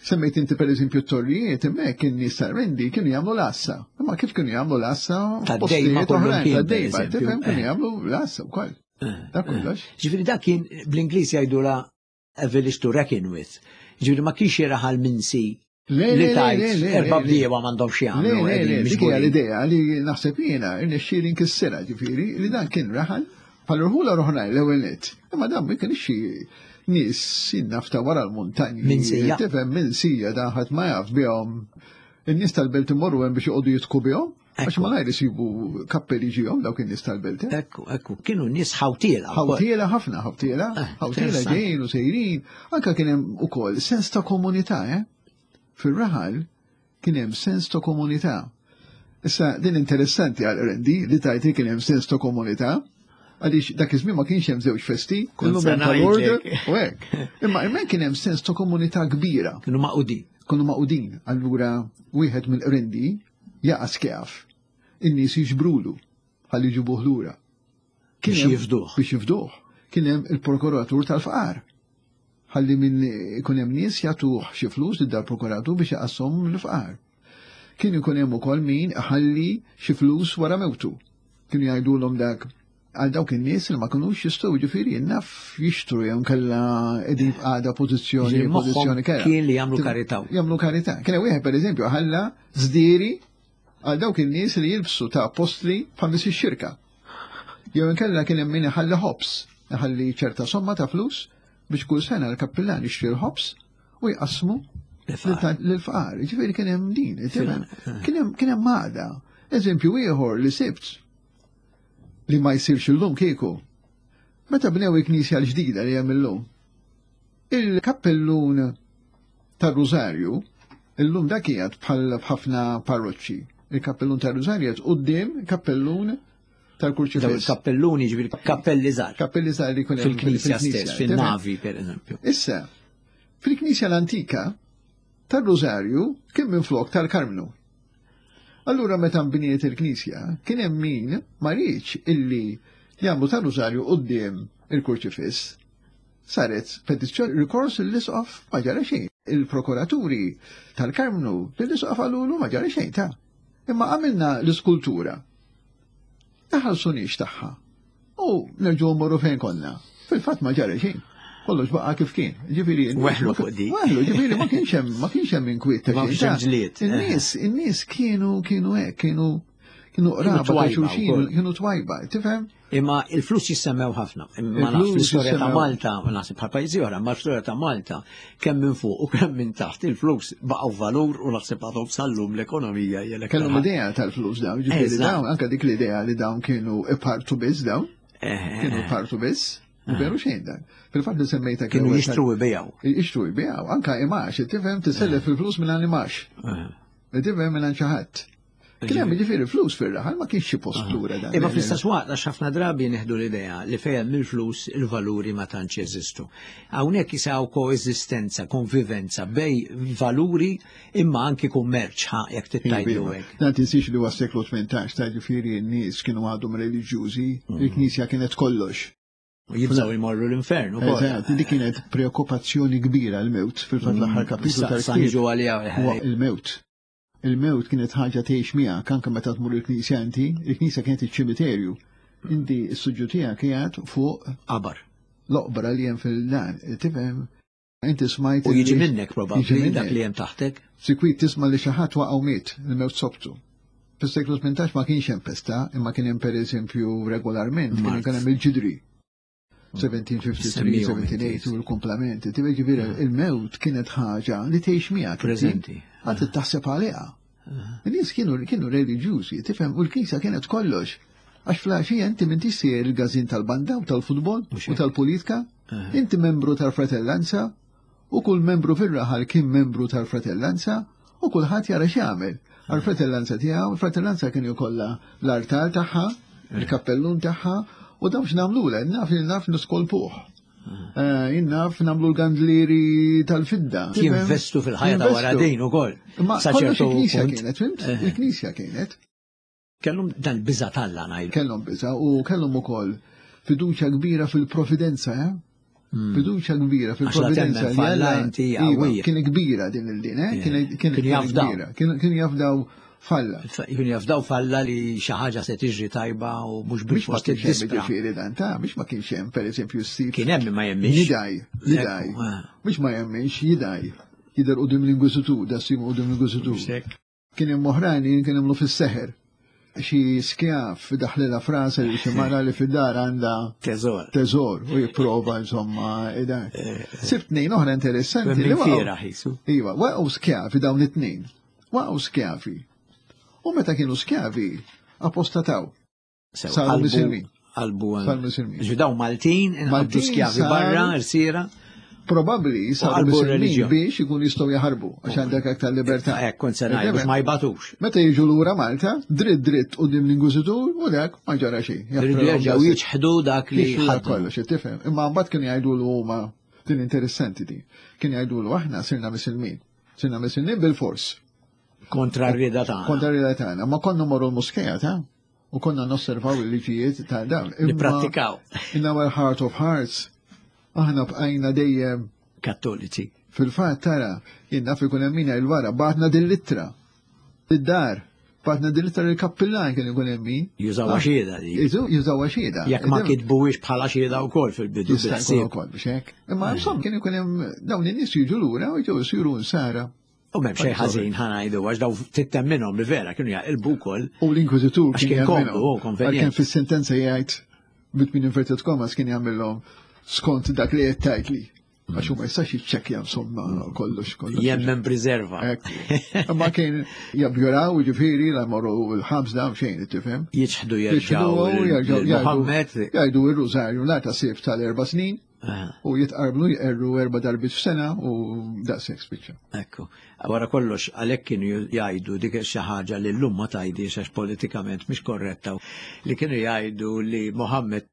semmejt inti per eżempju t-torrijiet, hemmhekk kien nies tar-Rendi kienu jagħmlu l-għassa. Imma kif kienu jagħmlu l-għassa Tad-dejma f'postijiet kollhom oħrajn, kien, per tad-dejma, eżempju. tifhem kienu Eh. jagħmlu l-għassa wkoll. Dak kollox. Ġifieri dak kien bl-Ingliż jgħidula a village to reckon with. Ġifieri ma kienx raħal minsi Le, li le, le, tajt le, le, erba' le. bdiewa m'għandhom xi Le, jagħmlu. le, le, qegħdin dik hija miġburin. l-idea li naħseb jiena irnexxieli nkissirha ġifieri li dan kien raħal bħal rħula oħrajn l-ewwel nett. Imma dan ma kienx xi nies jinnafta wara l-muntanji. Minsija. Tifhem minsija dan ħadd ma jaf bihom. In-nies tal-belt imorru hemm biex joqogħdu jitku bihom. Għax Ekku. malajr isibu kappelli ġihom dawk in-nies tal-belt. eh? Ekku, ekku, kienu nies ħawtiela. wkoll. Ħawtiela ħafna, ħawtiela, Eh, ħawtiela interessanti. ġejjin u sejrin, anka kien hemm ukoll sens ta' komunità, eh? Fir-raħal kien hemm sens ta' komunità. Issa din interessanti għal Rendi li tajti kien hemm sens ta' komunità, għaliex dak iż-żmien ma kienx hemm żewġ festi, Kont illum se hemm tal-order ngħidlek. u hekk. Imma hemmhekk kien hemm sens ta' komunità kbira Kienu magħqudin. kienu magħqudin. Allura wieħed mill-Qrendi jaqa' skjaf. In-nies jiġbrulu ħalli jġibuh lura. Kien Biex hemm- jifduh. Biex jifduh. Kien hemm il-prokuratur tal-fqar. Ħalli minn ikun hemm nies jagħtuh xi flus lil dal-prokuratur biex jaqasshom l-fqar. Kien ikun hemm ukoll min ħalli xi flus wara mewtu. Kienu jgħidulhom dak għal dawk in-nies li ma kinux jistgħu jiġifieri naf jixtru jew kellha qegħdin f'qagħda pożizzjoni Ġifieri moħħhom pożizzjoni kerha. kien li jagħmlu karità. Jagħmlu karità. Kien hemm wieħed pereżempju ħalla żdieri għal dawk in-nies li jilbsu ta' apostli bħal nies ix-xirka. Jew inkella kien hemm min iħalli ħobs, iħalli ċerta somma ta' flus biex kull sena l-kappillan jixtri l-ħobs u jqassmu L-fqar. lill-fqar. Ġifieri kien hemm din, Fil- kien hemm kien hemm għaqda. Eżempju ieħor li sibt li ma jsirx illum kieku. Meta bnew il-knisja l-ġdida li hemm illum, il-kappellun tar-Rużarju, illum dak qiegħed bħal b'ħafna parroċċi. Il-kappellun tar-Rużarju qed quddiem kappellun Daw tal-Kurċifiss. il-kappelluni ġifieri kappelli żgħar. Kappelli żgħar li jkun hemm Fil-knisja stess, tifhem? fil-navi per eżempju. Issa, fil-knisja l-antika, tar-Rużarju kien minn flok tal-Karmnu. Allura meta nbniet il-knisja, kien hemm min ma riedx illi jagħmlu tar-Rużarju quddiem il-Kurċifiss. Saret petizzjoni rikors l-isqof ma ġara xejn. Il-prokuraturi tal-Karmnu l-isqof qalulu ma ġara xejn ta' Imma għamilna l-iskultura. Taħallsunix tagħha. U nerġgħu mmorru fejn konna. Fil-fatt ma ġara xejn. Kollox baqa' kif kien. Ġifieri Weħlu fuq dik. Weħlu, ġifieri ma kienx hemm ma kienx hemm inkwiet ta' Ma xejn. kienx hemm ġlied. In-nies, in-nies kienu kienu hekk, kienu kienu qraba ta' twajba xulxin, wkoll. kienu twajba, tifhem? Imma il-flus jissemmew ħafna. Imma naf Il-flus fl-istorja ta' jissemmew. Malta, u naħseb bħal pajjiżi oħra, ma l-istorja ta' Malta, kemm minn fuq u kemm minn taħt, il-flus baqgħu valur u naħseb għadhom sal-lum l-ekonomija hija l-aktar Kellhom idea tal-flus dawn, ġifieri Eżatt. dawn, anke dik l-idea li dawn kienu ipartu biss dawn, Eh, kienu ipartu biss, u veru xejn dan. Fil-fatt li semmejta Kienu jixtru u jbigħu. Jixtru jbigħu, anka imax, tifhem tisellef il-flus minn imax. Eh. Tifhem minn xi ħadd. Kien hemm jiġifieri flus fir-raħal ma kienx xi postura dan. Imma fl-istess waqt għax ħafna drabi nieħdu l-idea li fejn mill-flus il-valuri ma tantx jeżistu. Hawnhekk jisaw koeżistenza, konvivenza bejn valuri imma anki kummerċ ħa jekk tittajdu hekk. Dan tinsiex li huwa seklu tmintax, ta' ġifieri n-nies kienu għadhom reliġjużi, il-Knisja kienet kollox. U jibżgħu jmorru l-infern ukoll. Eżatt, dik kienet preokkupazzjoni kbira l-mewt fil-fatt l-aħħar kapitlu Sa- sa tal-ktieb. niġu għaliha. Huwa il-mewt. Il-mewt kienet ħaġa tgħix miegħek anke meta tmur il-Knisja inti, il-Knisja kienet iċ-ċimiterju. Inti s-suġġu tiegħek qiegħed fuq Qabar. l-oqbra li hemm fil-dan, tifhem? Inti smajt U jiġi li- minnek Jiġi probabbli minnek. dak li hemm taħtek. Sikwit tisma' li xi ħadd waqgħu miet, il-mewt sobtu. Fis-seklu tmintax ma kienx hemm pesta, imma kien hemm pereżempju regolarment, kien hemm il-ġidri. seventeen fifty-three, seventeen eighty u l-komplamenti. Ġifieri il-mewt kienet ħaġa li tgħix miegħek. Preżenti. Għad taħseb għaliha. In-nies kienu kienu reliġjużi, tifhem, u l-knisja kienet kollox. Għax fl-għaxija inti m'intix sejjer il-każin tal-banda u tal-futbol u tal-politika, inti membru tal-fratellanza, u kull membru fir-raħal kien membru tal-fratellanza, u kulħadd jara x'jagħmel. Għall-fratellanza tiegħu, il-fratellanza kien ikollha l-artal tagħha, il-kappellun tagħha, u dawn x'nagħmlulha, naf li naf niskolpuh. Jien naf nagħmlu l-gandlieri tal-fidda. Jinvestu fil-ħajja ta' wara din ukoll. Ma kollox il-knisja kienet, fimt? Il-knisja kienet. Kellhom dal-biża' t'Alla ngħidu. Kellhom biża' u kellhom ukoll fiduċja kbira fil-providenza, eh? Fiduċja kbira fil-providenza li Alla kien kbira din il-din, eh? Kien kbira. Kienu jafdaw falla. Kienu jafdaw falla li xi ħaġa se tiġri tajba u mhux bil-fors tiddispra. Ġifieri dan ta' biex ma kienx hemm pereżempju ssib. Kien hemm ma jemminx. Jidaj, jidaj. Biex ma jemminx jidaj. Jidher quddiem l-Inkwiżitur, da ssibu quddiem l-Inkwiżitur. Kien hemm oħrajn kien hemm fis-seħer. Xi skjaf daħlilha frasa li xi mara li fid-dar għandha teżor. Teżor u jipprova insomma dak. Sibt tnejn oħra interessanti li waqgħu. Iva, waqgħu skjavi dawn it-tnejn. Waqgħu skjavi. U meta kienu skjavi apostataw. Saru misilmin. Qalbu saru misilmin. Ġi daw Maltin inħabbu skjavi barra, rsiera. Probabbli saru misilmin biex ikun jistgħu jaħarbu għax għandek aktar libertà. Hekk kont se ngħid biex ma jbatux. Meta jiġu lura Malta, dritt dritt quddiem l-Inkwiżitur u dak ma ġara xejn. Iridu jerġgħu jiġħdu dak li ħaddu kollox, tifhem. Imma mbagħad kienu jgħidulu huma din interessanti din. Kienu jgħidulu aħna sirna misilmin. Sirna misilmin bil-fors. Kontra r-rieda tagħna. Kontra r-rieda tagħna. Ma konna morru l-moskeja ta' u konna nosservaw il-liġijiet ta' dawn. Nipprattikaw. In our heart of hearts aħna bqajna dejjem kattoliċi. Fil-fatt tara, jien naf ikun hemm min il-wara, bagħatna din l-ittra. Id-dar, bagħatna din l-ittra lill-kappillan kien ikun hemm min. Jużawha xhieda di. Jużawha xhieda. Jekk ma kitbuhiex bħala xhieda wkoll fil-bidu. Jista' jkun ukoll biex hekk. Imma insomma kien ikun hemm dawn in-nies jiġu lura u jiġu jsiru nsara. U m'hemm xejn ħażin ħa ngħidu għax daw tittemminhom li vera kienu jaqilbu wkoll. U l-Inkwiżitur kien jagħmilhom. Kien fis-sentenza jgħid between inverted commas kien jagħmilhom skont dak li qed tgħidli. Għax huma jistax jiċċekkja insomma kollox kollox. Jemmen preserva. Imma kien jabjuraw ġifieri la jmorru l-ħabs dawn xejn tifhem. Jiċħdu jerġgħu Muhammed. Jgħidu r-rużarju la ta' sif tal-erba' snin u jitqarblu jqerru erba' darbiet f'sena u daqshekk spiċċa. Ekku. Wara kollox għalhekk kienu jgħidu dik xi ħaġa li llum ma tgħidix għax politikament mhix korretta li kienu jgħidu li Muhammed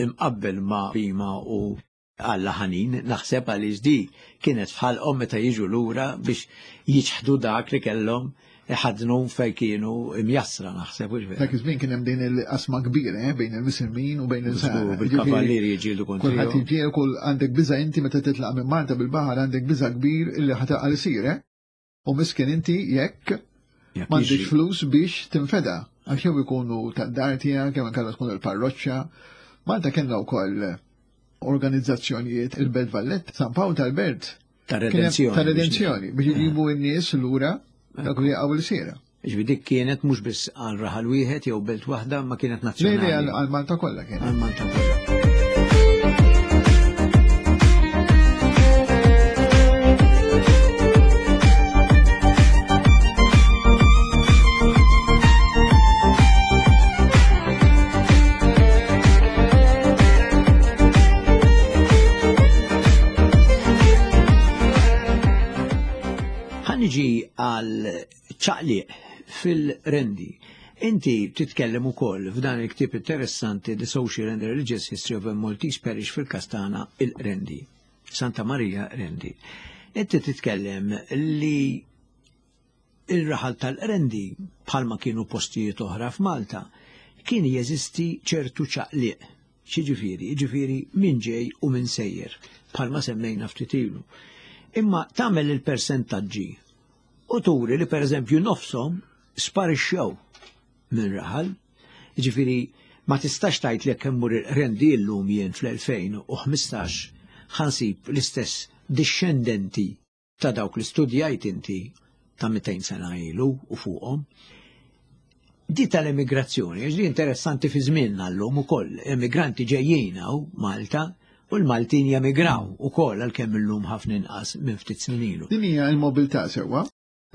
imqabbel ma' bima u Alla ħanin, naħseb għaliex di kienet fħalqhom meta jiġu lura biex jiċħdu dak li kellhom iħadnu fejn kienu imjassra naħseb. Dak iż-żmien kien hemm din il-qasma kbira eh, bejn il-Misilmin u bejn il-Insara. Bil-kavallieri jiġġieldu kontra. Kulħadd jiġġieldu, kull għandek biża' inti meta titlaq minn Malta bil-baħar għandek biża' kbir illi ħataqa' l-isir, eh? U miskin inti jekk m'għandekx flus biex tinfeda għax jew ikunu tad-dar tiegħek jew inkella tkun il-parroċċa. Malta kellna wkoll organizzazzjonijiet il-Belt Valletta, San Pawl tal-Belt. Ta' redenzjoni. Ta' redenzjoni, biex jġibu n-nies lura dak li jaqgħu l-sira. Ġifieri dik kienet mhux biss għal raħal wieħed jew belt waħda, ma kienet nazzjonali. Le, le, għal Malta kollha kienet. Għal Malta kollha. Niġi għal ċaqliq fil-Qrendi. Inti titkellem ukoll f'dan il-ktieb interessanti The Social and Religious History of a Maltese Parish fil-Kastana il-Qrendi, Santa Maria Qrendi. Inti titkellem li il-raħal tal-Qrendi bħalma kienu postijiet oħra f'Malta kien jeżisti ċertu ċaqliq. Xiġifieri, jiġifieri min ġej u min sejjer, bħalma semmejna ftit ilu. Imma tagħmel il-persentaġġi u turi li pereżempju nofshom sparixxew minn raħal. Jiġifieri ma tistax tgħid li jekk immur il-Qrendi llum jien fl-elfejn u ħmistax ħansib l-istess dixxendenti ta' dawk li studjajt inti ta' mitejn sena ilu u fuqhom. Di tal-emigrazzjoni, għax di interessanti fi żmienna llum ukoll, emigranti ġejjin hawn Malta u l-Maltin jemigraw ukoll għalkemm illum ħafna inqas minn ftit snin ilu. Din hija l-mobilità sewwa,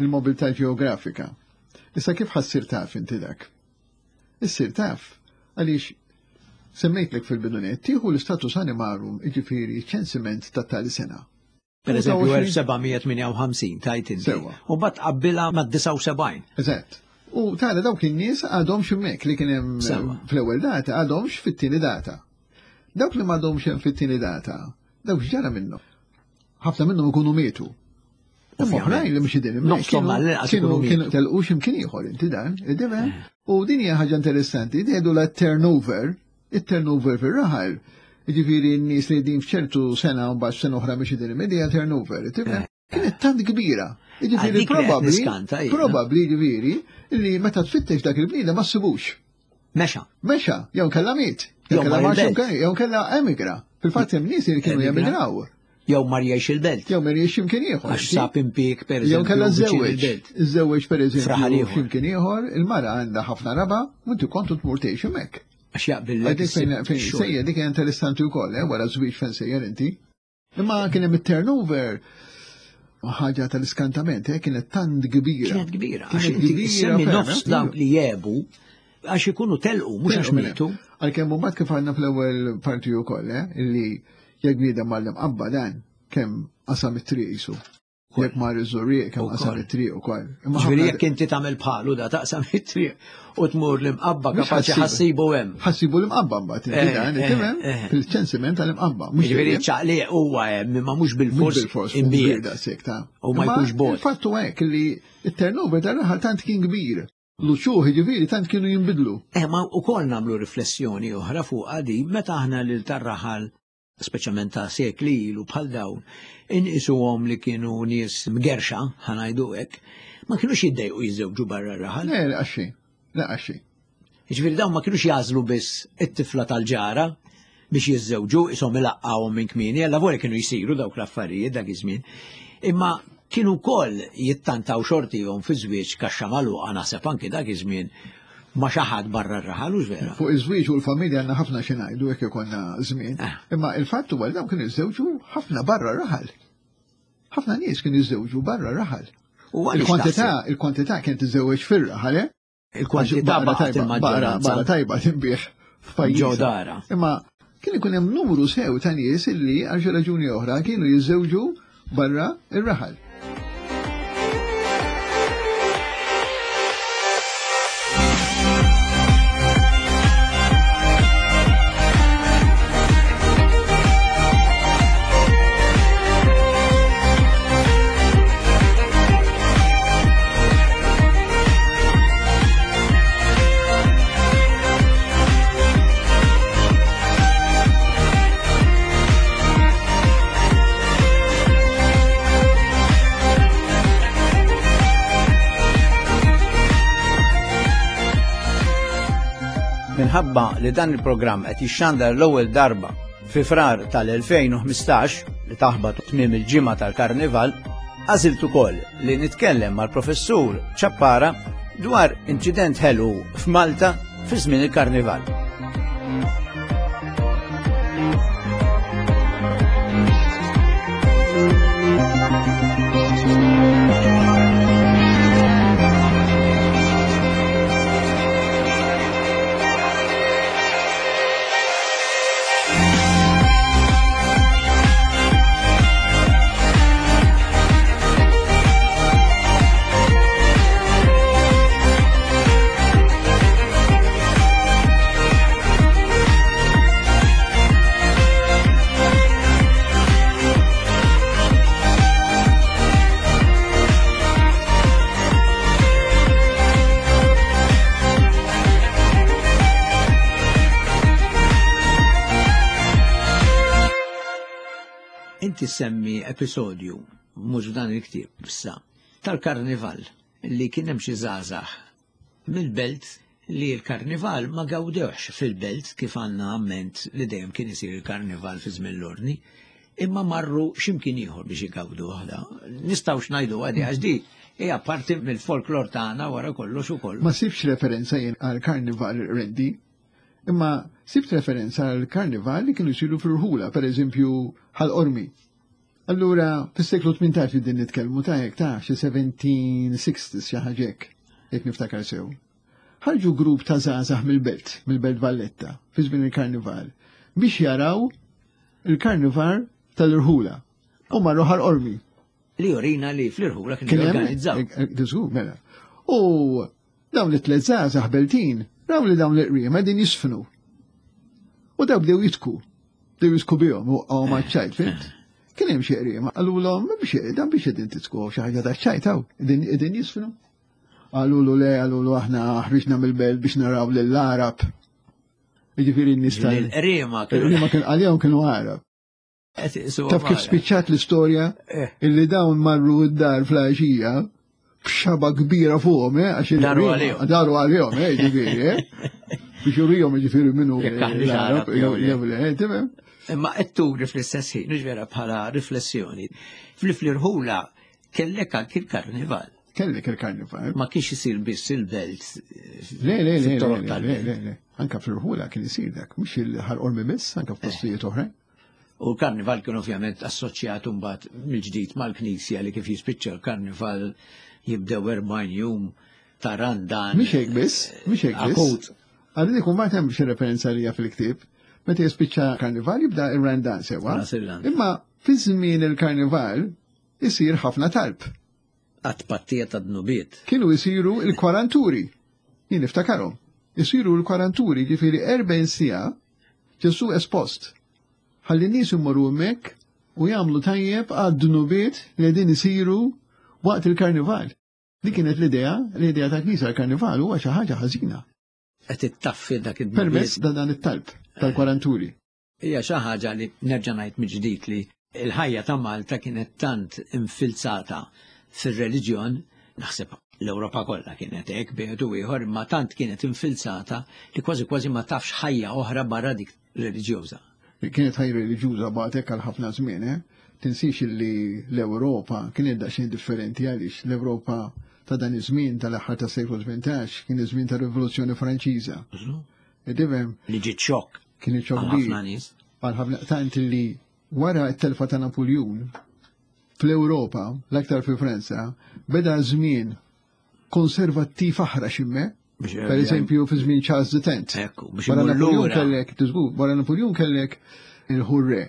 il-mobilità ġeografika. Issa kif ħa ssir taf inti dak? Issir taf għaliex semmejtlek fil-bidu nett tieħu l-status animarum, jiġifieri ċensiment ta' tali sena. Per eżempju, elf seba' mija tmienja u ħamsin tajt inti. Sewwa. U mbagħad qabbilha ma' disgħa u sebgħin. Eżatt. U tara dawk in-nies għadhomx hemmhekk li kien hemm Sewwa. fl-ewwel data, għadhomx fit-tieni data. Dawk li m'għadhomx hemm fit-tieni data, dawk x'ġara minnhom? Ħafna minnhom ikunu mietu. Imma Ovvjament. oħrajn li mhux qegħdin hemmhekk Nofshom kienu- għall-inqas kienu ikunu kienu mietu. telqu x'imkien ieħor inti dan, id-difhem? U din hija ħaġa interessanti, tgħidu la turnover, it-turnover fir-raħal. Jiġifieri n-nies li din f'ċertu sena u mbagħad sena oħra mhux qegħdin hemmhekk, turnover, tifhem? Kienet tant kbira. Jiġifieri Għal dik li qed probabbli, niskanta jiena. probabbli jiġifieri li meta tfittex dak il-bniedem ma ssibux. Mexa. Mexa, jew kella miet, jew Jew kella mar mar il-belt. x'imkien, jew kella emigra. Fil-fatt hemm nies li kienu Emigra. jemigraw, Jew mar jgħix il-belt. jew mar jgħix x'imkien ieħor. Għax sab impjieg per Jew eżempju kella viċin żewweġ, il-belt. żewweġ per F'raħal eżempju ieħor. x'imkien ieħor, il-mara għandha ħafna raba, u inti kontu tmur tgħix hemmhekk. Għax jaqbillek Għadik fejn fejn issib sejjer dik hija interessanti wkoll, eh, wara żwieġ fejn sejjer inti. Imma kien hemm it-turnover ħaġa tal-iskantament, eh, kienet tant kbira. Kienet kbira. Għax Kienet inti kbira semmi ferm, nofs eh. dawk li jebu għax ikunu telqu, mhux għax Telqu minn mietu. hemm. Għalkemm mbagħad kif għandna fl-ewwel parti wkoll, eh, illi jekk bniedem mar l-Imqabba dan kemm qasam it-triq jisu. Jekk mar iż-Żurrieq kemm qasam Ukoll. it-triq ukoll. Imma Ġifieri ħafna- jekk inti tagħmel bħalu da taqsam it-triq u tmur l-Imqabba Mhux kapaċi ħassibu. ħassibu hemm. Ħassibu l-Imqabba mbagħad inti Eh, dan, eh, tifhem? eh. Fil-ċensiment tal-Imqabba. Mhux Ġifieri dejjem. ċaqliq huwa hemm imma mhux Mhux bil-fors bil-fors, kbir imbiet. daqshekk ta' U ma Imma jkunx bot. Il-fatt huwa hekk li it-turnover tar-raħal tant kien kbir. L-uċuħ jiġifieri tant kienu jinbidlu. Eh, ma ukoll nagħmlu riflessjoni oħra fuq għadi meta aħna lil tar-raħal speċjalment ta' sekli ilu bħal dawn, inqisuhom li kienu nies mgerxa, ħa ngħidu hekk, ma kienux jiddejqu jiżżewġu barra r-raħal. Le, le, għaxi. Le, għaxi. Ġifieri dawn ma kienux jagħżlu biss it-tifla tal-ġara biex jiżżewġu, ishom ilaqqawhom minn kmieni, alla volja kienu jsiru dawk l-affarijiet dak iż-żmien. Imma kienu wkoll jittantaw xortihom fi żwieġ kaxxa magħluqa naħseb anki dak iż-żmien ma xi ħadd barra r-raħal u vera. Fuq iż-żwieġ u l-familja għandna ħafna xi ngħidu jekk ikollna żmien. Ah. Imma il-fatt huwa li dawn kienu jiżżewġu ħafna barra r-raħal. Ħafna nies kienu jiżżewġu barra r-raħal. U għaliex Il-kwantità, taħseb? il-kwantità kienet tiżżewweġ fir-raħal, eh? Il-kwantità Għax baqgħet tajba, barra il-maġġoranza. barra tajba tinbiegħ f'pajjiż. Ġo dara. Imma kien ikun hemm numru sew ta' nies illi għal xi raġuni oħra kienu jiżżewġu barra ir-raħal. Minħabba li dan il-programm qed jixxandar l-ewwel darba fi Frar tal-elfejn u ħmistax li taħbat tmiem il-ġimgħa tal-Karnival, għażilt ukoll li nitkellem mal-professur Ciappara dwar inċident ħelu f'Malta fi żmien il-Karnival. Inti semmi episodju, mhux f'dan il-ktieb, issa, tal-karnival li kien hemm xi żgħażagħ mill-belt li l-karnival ma gawdewx fil-belt kif għandna amment li dejjem kien isir il-karnival fi żmien l-ordni, imma marru x'imkien ieħor biex igawdu waħda. Nistgħux ngħidu għadi għax di Hija parti mill-folklor tagħna wara kollox ukoll. Ma sibx referenza jien għal karnival Rendi, imma sibt referenza għal karnival li kienu jsiru fil-rħula, per eżempju Ħal Qormi. Allura, fis-seklu tmintax din nitkellmu ta' hekk ta' xi seventeen sixties xi ħaġa hekk, jekk niftakar sew. Ħarġu grupp ta' żgħażagħ mill-belt, mill-Belt Valletta, fi żmien il-karnival, biex jaraw il-karnival tal-irħula. U marru Ħal Qormi. Li jorina li fl-irħula kienu Kien hemm- jorganizzaw. eh, eh, Diżgur, mela. U dawn it-tliet żgħażagħ beltin, raw li dawn l-qriema din jisfnu. U daw bdew jitku. Bdew jitku bihom u għaw ma ċajt, fimt? Kien hemm xi qriema, qalulhom biex dan biex qegħdin titku xi ħaġa ta' ċajt hawn, qegħdin jisfnu. Qalulu le, qalulu aħna ħriġna mill-belt biex naraw lill-Arab. Jiġifieri n-nies tal- Il-qriema kienu Il-qriema kien għalihom kienu Arab. qed iqsuhom Taf kif Arab. spiċċat l-istorja Eh. illi dawn marru d-dar fl-għaxija b'xaba kbira fuqhom, eh, għax Daru il-qriema- għalihom. Daru għalihom, eh, ġifieri, eh. Biex jurihom ġifieri minnu Jekk aħniex l-Arab, Arab, jew le. jew le, eh, tifhem? Imma qed turi fl-istess ħin, mhux vera bħala riflessjoni. Fl-irħula kellek anki l-karnival. Kellek il-karnival. Ma kienx isir biss il-belt. Le, le, le, le, fit-toroq le, tal-belt. le, le. Anka fl-irħula kien isir dak, mhux il-Ħal Qormi biss, anka f'postijiet oħrajn. U l-karnival kien ovvjament assoċjat mbagħad mill-ġdid mal-Knisja li kif jispiċċa l-karnival jibdew erbgħin jum ta' randan. Mhix hekk biss, mhix hekk biss. Akut. Għal dik imbagħad hemm xi referenza li hija fil-ktieb. Meta jispiċċa karnival jibda ir-randan sewwa. Ras il-randan. Imma fi żmien il-karnival isir ħafna talb. Għat-pattija ta' dnubiet. Kienu jisiru il-kwaranturi. Jien niftakarhom. Isiru l-kwaranturi, ġifieri erbgħin siegħa Ġesu espost. Ħalli n-nies imorru hemmhekk u jagħmlu tajjeb għad-dnubiet li qegħdin isiru waqt il-karnival. Dik kienet l-idea, l-idea ta' knisja l-karnival huwa xi ħaġa ħażina. Qed ittaffi dak id-dnubiet. Permezz ta' dan it-talb tal-kwaranturi. Hija xi ħaġa li nerġa' ngħid mill-ġdid li l-ħajja ta' Malta kienet tant infilzata fir-reliġjon, naħseb l-Ewropa kollha kienet hekk bejn u ieħor, imma tant kienet infilzata li kważi kważi ma tafx ħajja oħra barra dik reliġjuża. Kienet ħajja reliġjuża baqgħet hekk għal ħafna żmien, eh? Tinsix li l-Ewropa kienet daqsxejn differenti għaliex l-Ewropa ta' dan iż-żmien tal-aħħar tas-seklu tmintax kien iż-żmien tar-Rivoluzzjoni Franċiża. Tifhem? Li ġiet xokk Kien xokk għal kbir. ħafna nies. Għal ħafna tant li wara t-telfa ta' Napoljun fl-Ewropa, l-aktar fi Franza, beda żmien konservattiv aħrax imme. Biex Per eżempju, fi żmien Charles the Tenth. Ekku, biex Wara imur Napoljun lura. kellek, tiżgur, wara Napoljun kellek il-Hurre,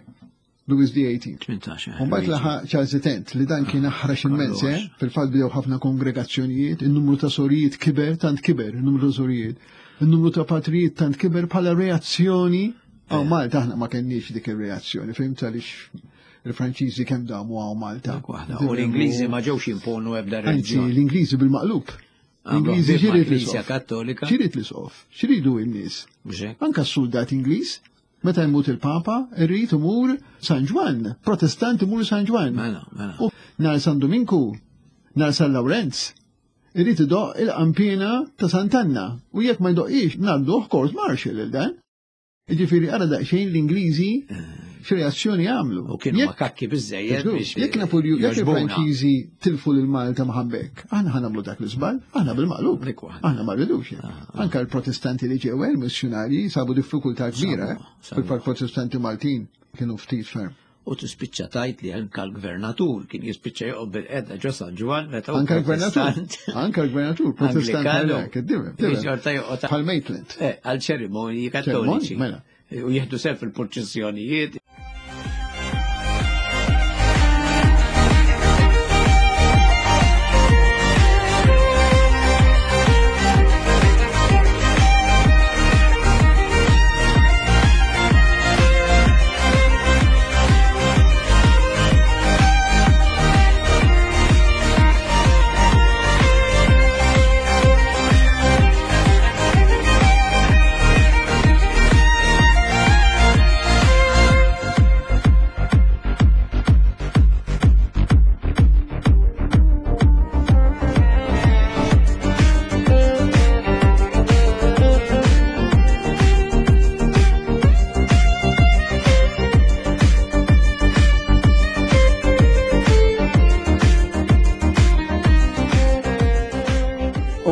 Louis the eighteenth. Tmintax, eh, U mbagħad Luigi. laħaq Charles the Tenth li dan kien aħrax immens, Kollox. eh? Fil-fatt bdew ħafna kongregazzjonijiet, in-numru ta' sorijiet kiber, tant kiber, in-numru ta' sorijiet. In-numru ta' patrijiet tant kiber bħala reazzjoni. Għaw Malta aħna ma kenniex dik ir-reazzjoni, fimt għaliex il-Franċiżi kemm damu għaw Malta. Dak waħda. U l-Ingliżi ma ġewx jimponu ebda Anzi, reliġjon. l-Ingliżi bil-maqlub. Għamlu L-Ingliżi ħbieb x'irid mal-Knisja l-isqof. Kattolika. X'irid l-isqof? X'iridu n-nies? Mhux hekk? Anka s-soldat Ingliż, meta jmut il-Papa, irrid imur San Ġwann, Protestant imur San Ġwann. Mela, mela. U nhar San Dominku, nhar San Lawrenz, irrid idoq il-qampina ta' Sant'Anna. U jekk ma jdoqix, ngħadduh court martial il dan. Jiġifieri ara daqsxejn l-Ingliżi x'reazzjoni għamlu. U kienu Jekk makakki biżżejjed biex Jekk Napoljun, jekk jogħġbuna. il-Franċiżi tilfu lil Malta maħabbek, aħna ħa nagħmlu dak l-iżball, aħna bil-maqlub. Dik waħda. Aħna ma rridux. Anka l-Protestanti li ġew il-missjonarji sabu diffikultà kbira, Sabu, eh? sabu. Fil-fatt Protestanti Maltin kienu ftit ferm. U tispiċċa tajt li anka l-gvernatur kien jispiċċa joqgħod bil-qedda ġo San Ġwann meta hu Anka l-gvernatur, Protestant. anka l-gvernatur, Protestant Anglikanu. għalhekk, id-dibem, dibem. Xorta joqgħod Bħal Maitland. Eh, għal ċerimonji kattoliċi. Ċerimonji, mela. U jieħdu sew fil-purċissjonijiet.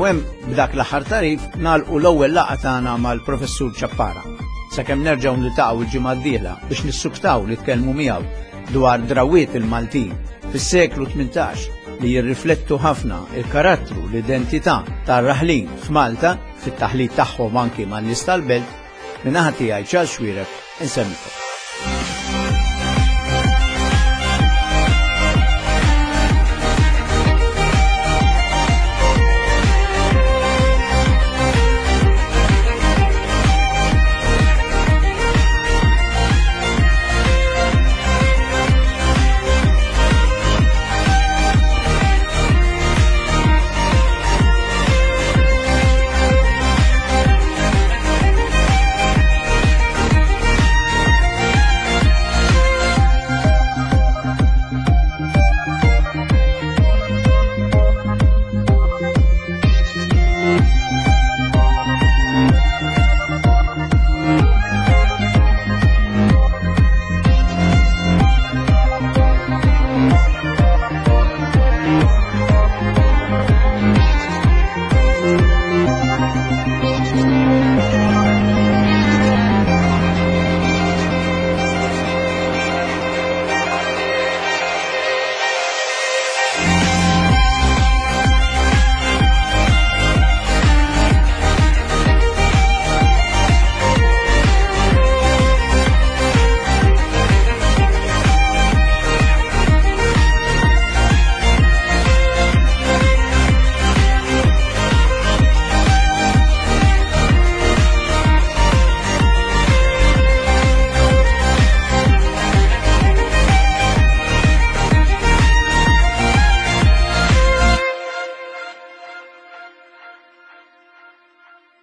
U hemm b'dak l-aħħar tagħrif nagħlqu l-ewwel laqgħa tagħna mal-Professur Ciappara. Sakemm nerġgħu niltaqgħu il-ġimgħa d-dieħla biex nissuktaw li tkellmu miegħu dwar drawiet il-Maltin fis-seklu tmintax li jirriflettu ħafna il-karattru, l-identità tar-raħlin f'Malta fit-taħlit tagħhom anki man-nies tal-belt, min-naħa tiegħi Charles Xuereb insellmilkom.